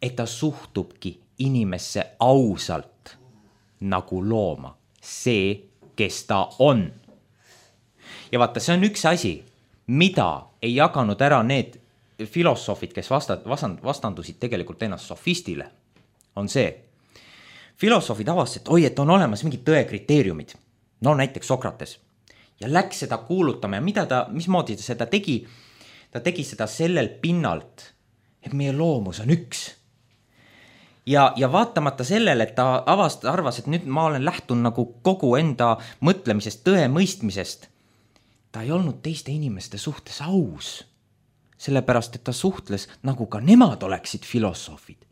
et ta suhtubki inimesse ausalt nagu looma. See, kes ta on. Ja vaata, see on üks asi, mida ei jaganud ära need filosoofid, kes vastand, vastandusid tegelikult ennast sofistile, on see. Filosoofid avastasid, et oi, et on olemas mingid tõe kriteeriumid. No näiteks Sokrates. Ja läks seda kuulutama ja mida ta, mismoodi ta seda tegi? Ta tegi seda sellel pinnalt, et meie loomus on üks. Ja, ja vaatamata sellele, et ta avast, arvas, et nüüd ma olen lähtun nagu kogu enda mõtlemisest, tõe mõistmisest, ta ei olnud teiste inimeste suhtes aus. Sellepärast, et ta suhtles nagu ka nemad oleksid filosoofid.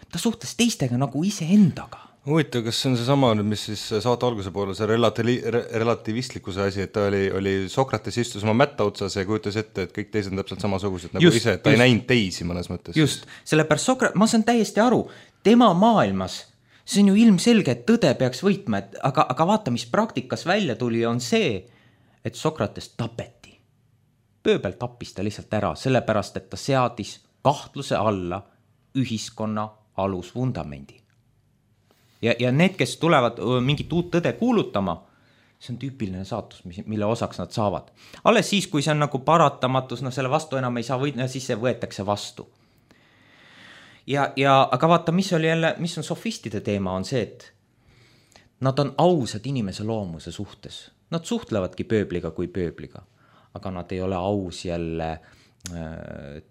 Ta suhtles teistega nagu iseendaga. Huvitav, kas see on see sama, mis siis saate alguse poole, see relati- relativistlikkuse asi, et ta oli, oli Sokrates istus oma mätta otsas ja kujutas ette, et kõik teised on täpselt samasugused nagu just, ise, et ta just, ei näinud teisi mõnes mõttes. Just, sellepärast Sokrat, ma saan täiesti aru, tema maailmas, see on ju ilmselge, et tõde peaks võitma, et, aga, aga vaata, mis praktikas välja tuli, on see, et Sokrates tapeti. Pööbel tappis ta lihtsalt ära, sellepärast, et ta seadis kahtluse alla ühiskonna alusvundamendi. Ja, ja need, kes tulevad mingit uut tõde kuulutama, see on tüüpiline saatus, mille osaks nad saavad. Alles siis, kui see on nagu paratamatus, no selle vastu enam ei saa võida, siis see võetakse vastu. Ja, ja, aga vaata, mis oli jälle, mis on sofistide teema, on see, et nad on ausad inimese loomuse suhtes. Nad suhtlevadki pööbliga kui pööbliga, aga nad ei ole aus jälle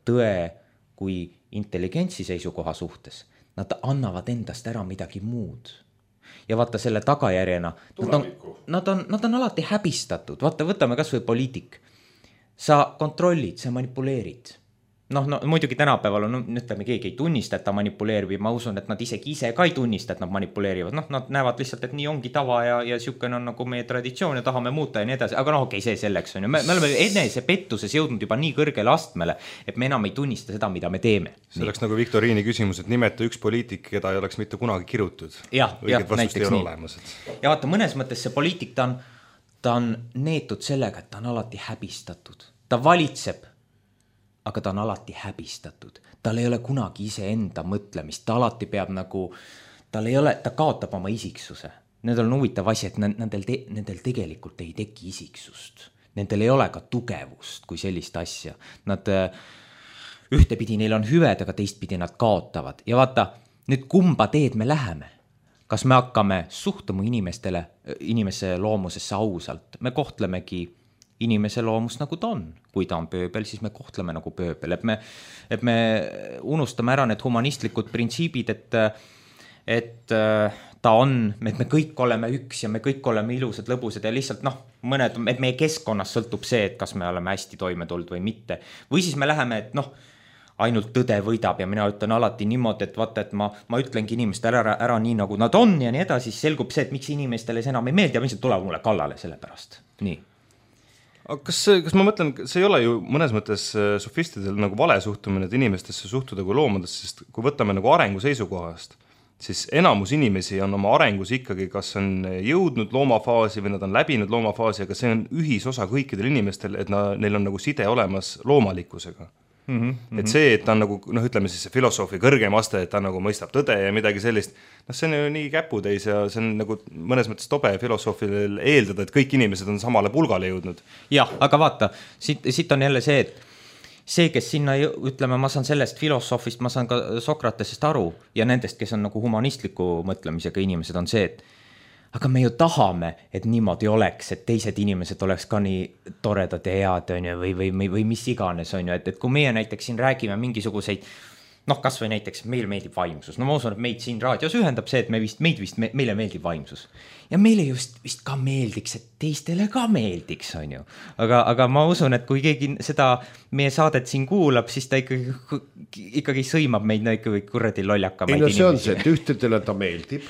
tõe kui intelligentsi seisukoha suhtes. Nad annavad endast ära midagi muud. Ja vaata selle tagajärjena, nad on, nad, on, nad on alati häbistatud. Vaata, võtame kas või poliitik. Sa kontrollid, sa manipuleerid. noh, no muidugi tänapäeval on, ütleme, keegi ei tunnista, et ta manipuleerib, ma usun, et nad isegi ise ka ei tunnista, et nad manipuleerivad, noh, nad näevad lihtsalt, et nii ongi tava ja, ja siukene on nagu meie traditsioon ja tahame muuta ja nii edasi, aga noh, okei, see selleks on ju, me, me oleme enese pettuses jõudnud juba nii kõrgele astmele, et me enam ei tunnista seda, mida me teeme. See oleks nagu Viktoriini küsimus, et nimeta üks poliitik, keda ei oleks mitte kunagi kirutud. Jah, jah, näiteks nii. Olemas, et... Ja vaata, mõnes mõttes see poliitik, ta on, ta on neetud sellega, et ta on alati häbistatud. Ta valitseb, aga ta on alati häbistatud. Tal ei ole kunagi iseenda mõtlemist, ta alati peab nagu, tal ei ole, ta kaotab oma isiksuse. Nendel on huvitav asi, et nendel, te, nendel tegelikult ei teki isiksust. Nendel ei ole ka tugevust kui sellist asja. Nad ühtepidi neil on hüved, aga teistpidi nad kaotavad. Ja vaata, nüüd kumba teed me läheme? Kas me hakkame suhtuma inimestele, inimese loomusesse ausalt? Me kohtlemegi inimese loomust nagu ta on. Kui ta on pööbel, siis me kohtleme nagu pööbel. Et me, et me unustame ära need humanistlikud printsiibid, et, et ta on, et me kõik oleme üks ja me kõik oleme ilusad, lõbusad ja lihtsalt noh, mõned, et meie keskkonnas sõltub see, et kas me oleme hästi toime tulnud või mitte. Või siis me läheme, et noh, ainult tõde võidab ja mina ütlen alati niimoodi, et vaata, et ma, ma ütlengi inimestele ära, ära nii nagu nad on ja nii edasi, siis selgub see, et miks inimestele see enam ei meeldi ja lihtsalt tuleb mulle kallale selle pärast. Nii. Aga kas, kas ma mõtlen, see ei ole ju mõnes mõttes sofistidel nagu vale suhtumine, et inimestesse suhtuda kui loomadesse, sest kui võtame nagu arengu seisukohast, siis enamus inimesi on oma arengus ikkagi, kas on jõudnud loomafaasi või nad on läbinud loomafaasi, aga see on ühisosa kõikidel inimestel, et na, neil on nagu side olemas loomalikkusega. Mm -hmm. Et see, et ta on nagu, noh, ütleme siis see filosoofi kõrgem aste, et ta nagu mõistab tõde ja midagi sellist, noh, see on ju nii käputäis ja see on nagu mõnes mõttes tobe filosoofil eeldada, et kõik inimesed on samale pulgale jõudnud. Jah, aga vaata, siit, siit on jälle see, et see, kes sinna, ütleme, ma saan sellest filosoofist, ma saan ka Sokratesest aru ja nendest, kes on nagu humanistliku mõtlemisega inimesed, on see, et aga me ju tahame, et niimoodi oleks, et teised inimesed oleks ka nii toredad ja head, on ju, või, või, või mis iganes, on ju, et, et kui meie näiteks siin räägime mingisuguseid, noh, kas või näiteks meil meeldib vaimsus, no ma usun, et meid siin raadios ühendab see, et me vist, meid vist, me, meile meeldib vaimsus. Ja meile just vist ka meeldiks, et teistele ka meeldiks, on ju. Aga, aga ma usun, et kui keegi seda meie saadet siin kuulab, siis ta ikkagi, ikkagi sõimab meid no ikkagi kuradi lollakamaid inimesi. Ei no see inimesi. on see, et ühtedele ta meeldib.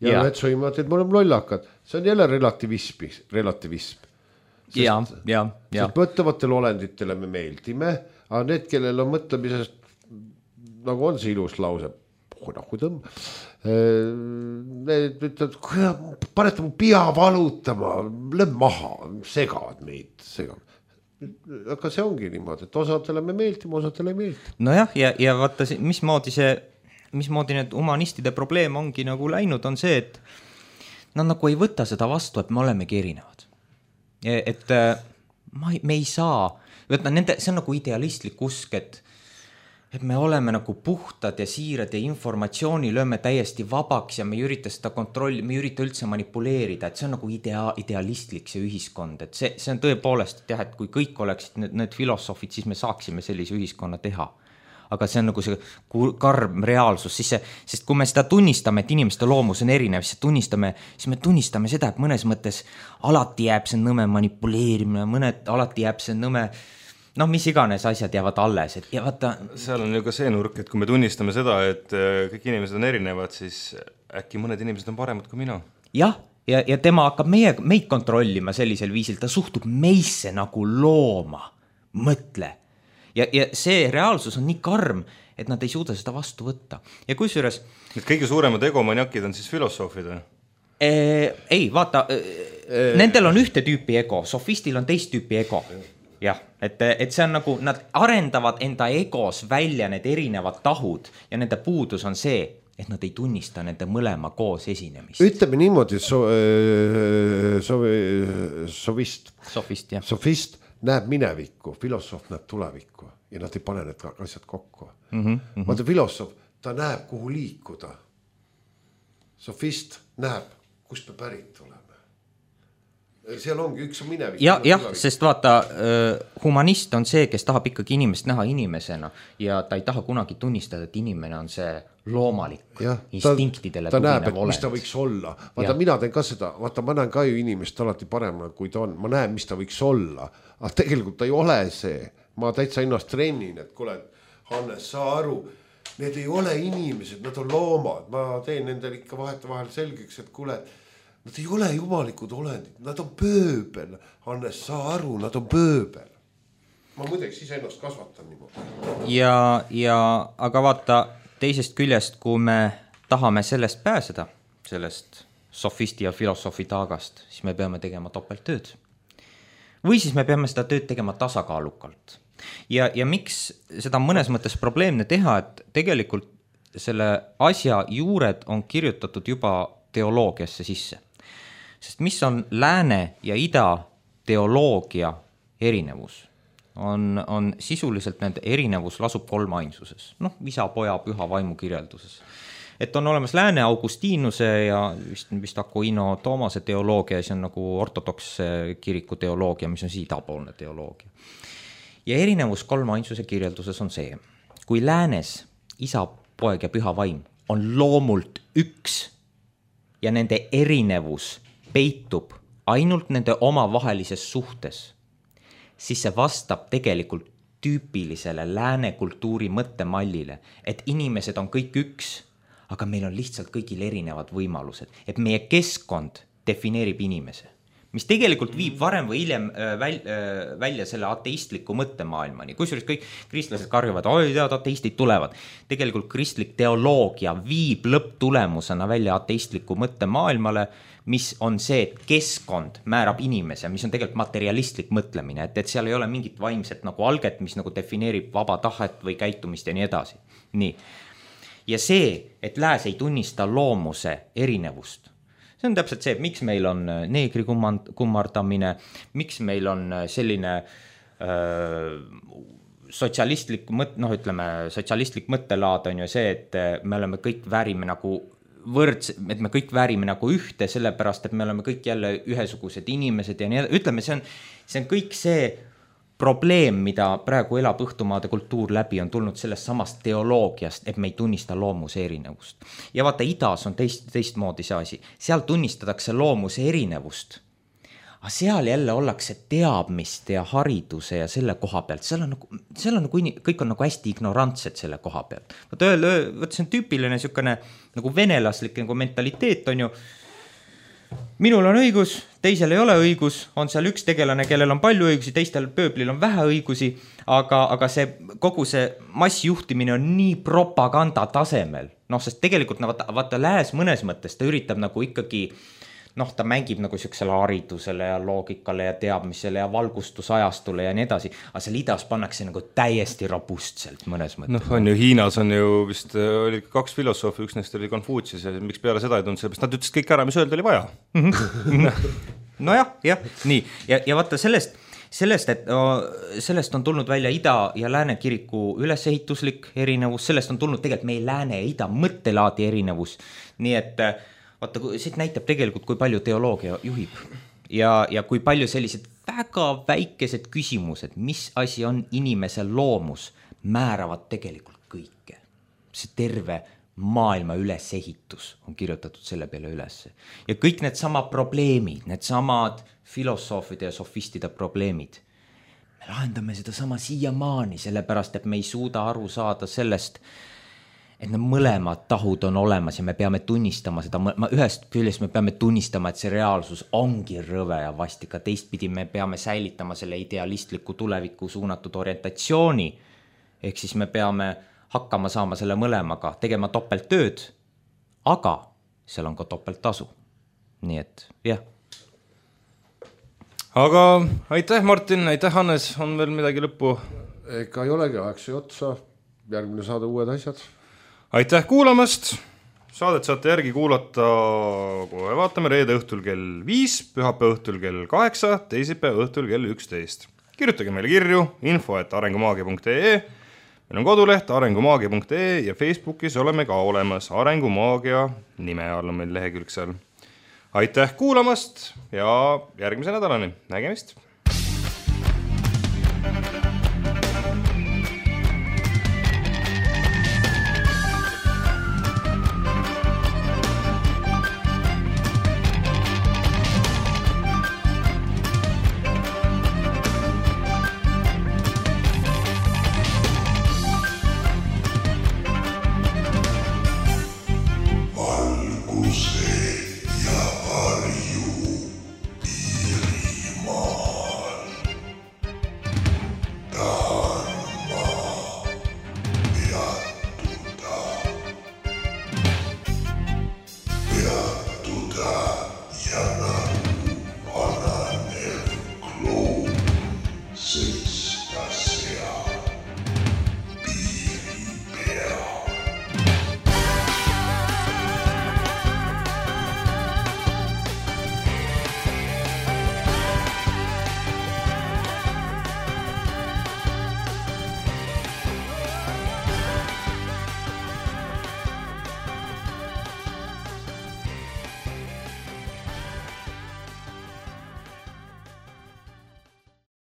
Ja, ja. Ühed sõimavad, et me oleme lollakad. See on jälle relativism. relativism. Sest, ja, ja, ja. Sest mõtlevatele olenditele me meeldime, aga need, kellel on mõtlemisest, nagu on see ilus lause, nagu tõmb, need ütlevad, panete mu pea valutama, lööb maha, segavad meid, segavad. Aga see ongi niimoodi, et osadele me meeldime, osadele ei meeldi. Nojah, ja, ja vaata, mismoodi see mismoodi need humanistide probleem ongi nagu läinud, on see, et nad nagu ei võta seda vastu, et me olemegi erinevad. Et ma, me ei saa, võtta, nende, see on nagu idealistlik usk, et, et me oleme nagu puhtad ja siirad ja informatsiooni lööme täiesti vabaks ja me ei ürita seda kontrolli, me ei ürita üldse manipuleerida, et see on nagu idea, idealistlik see ühiskond, et see, see on tõepoolest, et jah, et kui kõik oleksid need, need filosoofid, siis me saaksime sellise ühiskonna teha. Aga see on nagu see karm reaalsus, siis see, sest kui me seda tunnistame, et inimeste loomus on erinev, siis, tunnistame, siis me tunnistame seda, et mõnes mõttes alati jääb see nõme manipuleerimine, mõned alati jääb see nõme, noh, mis iganes asjad jäävad alles. Et, ja vaata, seal on ju ka see nurk, et kui me tunnistame seda, et kõik inimesed on erinevad, siis äkki mõned inimesed on paremad kui mina. Jah, ja, ja tema hakkab meie, meid kontrollima sellisel viisil, ta suhtub meisse nagu looma, mõtle. Ja, ja see reaalsus on nii karm, et nad ei suuda seda vastu võtta. Ja kusjuures... Need kõige suuremad egomaniakid on siis filosoofid? Ee, ei, vaata, ee, nendel on ühte tüüpi ego, sofistil on teist tüüpi ego. Jah, et, et see on nagu, nad arendavad enda egos välja need erinevad tahud ja nende puudus on see, et nad ei tunnista nende mõlema koos esinemist. Ütleme niimoodi, so, so, sovist, sofist, jah. sofist näeb minevikku, filosoof näeb tulevikku ja nad ei pane need asjad kokku. Mm -hmm. Vaata, filosoof, ta näeb, kuhu liikuda. Sofist näeb, kust me pärit oleme. Seal ongi üks minevik. Ja, jah, sest vaata, humanist on see, kes tahab ikkagi inimest näha inimesena ja ta ei taha kunagi tunnistada, et inimene on see loomalik, ja, instinktidele ta, ta näeb, et olend. Mis ta võiks olla. Vaata, ja. Mina teen ka seda, vaata, ma näen ka ju inimest alati paremana, kui ta on. Ma näen, mis ta võiks olla, aga tegelikult ta ei ole see. Ma täitsa ennast trennin, et kuule, Hannes, saa aru, need ei ole inimesed, nad on loomad. Ma teen nendel ikka vaheta vahel selgeks, et kuule, nad ei ole jumalikud olendid, nad on pööbel. Hannes, saa aru, nad on pööbel. Ma muideks ise ennast kasvatan niimoodi. Ja, ja, aga vaata, teisest küljest, kui me tahame sellest pääseda, sellest sofisti ja filosoofi taagast, siis me peame tegema topelttööd. Või siis me peame seda tööd tegema tasakaalukalt. Ja, ja miks seda mõnes mõttes probleemne teha, et tegelikult selle asja juured on kirjutatud juba teoloogiasse sisse. Sest mis on lääne ja ida teoloogia erinevus? On, on sisuliselt nende erinevus lasub kolmainsuses. Noh, isa, poja, püha vaimu kirjelduses. Et on olemas lääne Augustiinuse ja vist, vist Aquino Toomase teoloogia, ja see on nagu ortodoks kiriku teoloogia, mis on idapoolne teoloogia. Ja erinevus kolmainsuse kirjelduses on see, kui läänes isa, poeg ja püha vaim on loomult üks ja nende erinevus peitub ainult nende omavahelises suhtes, siis see vastab tegelikult tüüpilisele lääne kultuuri mõttemallile, et inimesed on kõik üks, aga meil on lihtsalt kõigil erinevad võimalused, et meie keskkond defineerib inimese. mis tegelikult viib varem või hiljem välja selle ateistliku mõttemaailmani. Kusjuures kõik kristlased karjuvad, oi tead, ateistid tulevad. Tegelikult kristlik teoloogia viib lõpptulemusena välja ateistliku mõttemaailmale, mis on see, et keskkond määrab inimese, mis on tegelikult materialistlik mõtlemine, et, et seal ei ole mingit vaimset nagu alget, mis nagu defineerib vaba tahet või käitumist ja nii edasi. Nii. Ja see, et lääs ei tunnista loomuse erinevust, see on täpselt see, et miks meil on neegri kummardamine, miks meil on selline öö, sotsialistlik mõt-, noh ütleme, sotsialistlik mõttelaad on ju see, et me oleme kõik väärime nagu võrds, et me kõik väärime nagu ühte, sellepärast, et me oleme kõik jälle ühesugused inimesed ja nii edasi. Ütleme, see on, see on kõik see probleem, mida praegu elab õhtumaade kultuur läbi, on tulnud sellest samast teoloogiast, et me ei tunnista loomuse erinevust. Ja vaata, idas on teist, teistmoodi see asi. Seal tunnistatakse loomuse erinevust. Aga seal jälle ollakse teadmist ja hariduse ja selle koha pealt. Seal on nagu, seal on nagu, kõik on nagu hästi ignorantsed selle koha pealt. Vaata, öö, vaata see on tüüpiline niisugune nagu venelaslik nagu mentaliteet on ju, minul on õigus, teisel ei ole õigus, on seal üks tegelane, kellel on palju õigusi, teistel pööblil on vähe õigusi, aga, aga see, kogu see massjuhtimine on nii propaganda tasemel. Noh, sest tegelikult vaata, vaata lääs mõnes mõttes, ta üritab nagu ikkagi, noh, ta mängib nagu siuksele haridusele ja loogikale ja teadmisele ja valgustusajastule ja nii edasi, aga seal idas pannakse nagu täiesti robustselt mõnes mõttes. Noh, on ju, Hiinas on ju vist oli kaks filosoofi, üks neist oli Konfutsius ja miks peale seda ei tulnud, sellepärast nad ütlesid kõik ära, mis öelda oli vaja. No jah, jah, nii. Ja, ja vaata sellest, sellest, et no, sellest on tulnud välja ida ja lääne kiriku ülesehituslik erinevus, sellest on tulnud tegelikult meie lääne ja ida mõttelaadi erinevus, nii et vaata, siit näitab tegelikult, kui palju teoloogia juhib ja, ja kui palju sellised väga väikesed küsimused, mis asi on inimese loomus, määravad tegelikult kõike. See terve maailma ülesehitus on kirjutatud selle peale üles. Ja kõik need sama probleemid, need samad filosoofide ja sofistide probleemid, me lahendame seda sama siiamaani, sellepärast, et me ei suuda aru saada sellest, et need mõlemad tahud on olemas ja me peame tunnistama seda, ühest küljest me peame tunnistama, et see reaalsus ongi rõve ja vastika, teistpidi me peame säilitama selle idealistliku tuleviku suunatud orientatsiooni, ehk siis me peame hakkama saama selle mõlemaga, tegema topelttööd, aga seal on ka topelttasu. Nii et, jah. Aga aitäh, Martin, aitäh, Hannes, on veel midagi lõppu? Ega ei olegi, aeg see otsa, järgmine saada uued asjad. Aitäh kuulamast, saadet saate järgi kuulata, kohe vaatame, reede õhtul kell viis, pühapäeva õhtul kell kaheksa, teisipäeva õhtul kell üksteist. Kirjutage meile kirju info et arengumaagia punkt ee, meil on koduleht arengumaagia punkt ee ja Facebookis oleme ka olemas, Arengumaagia nime all on meil lehekülg seal. Aitäh kuulamast ja järgmise nädalani, nägemist!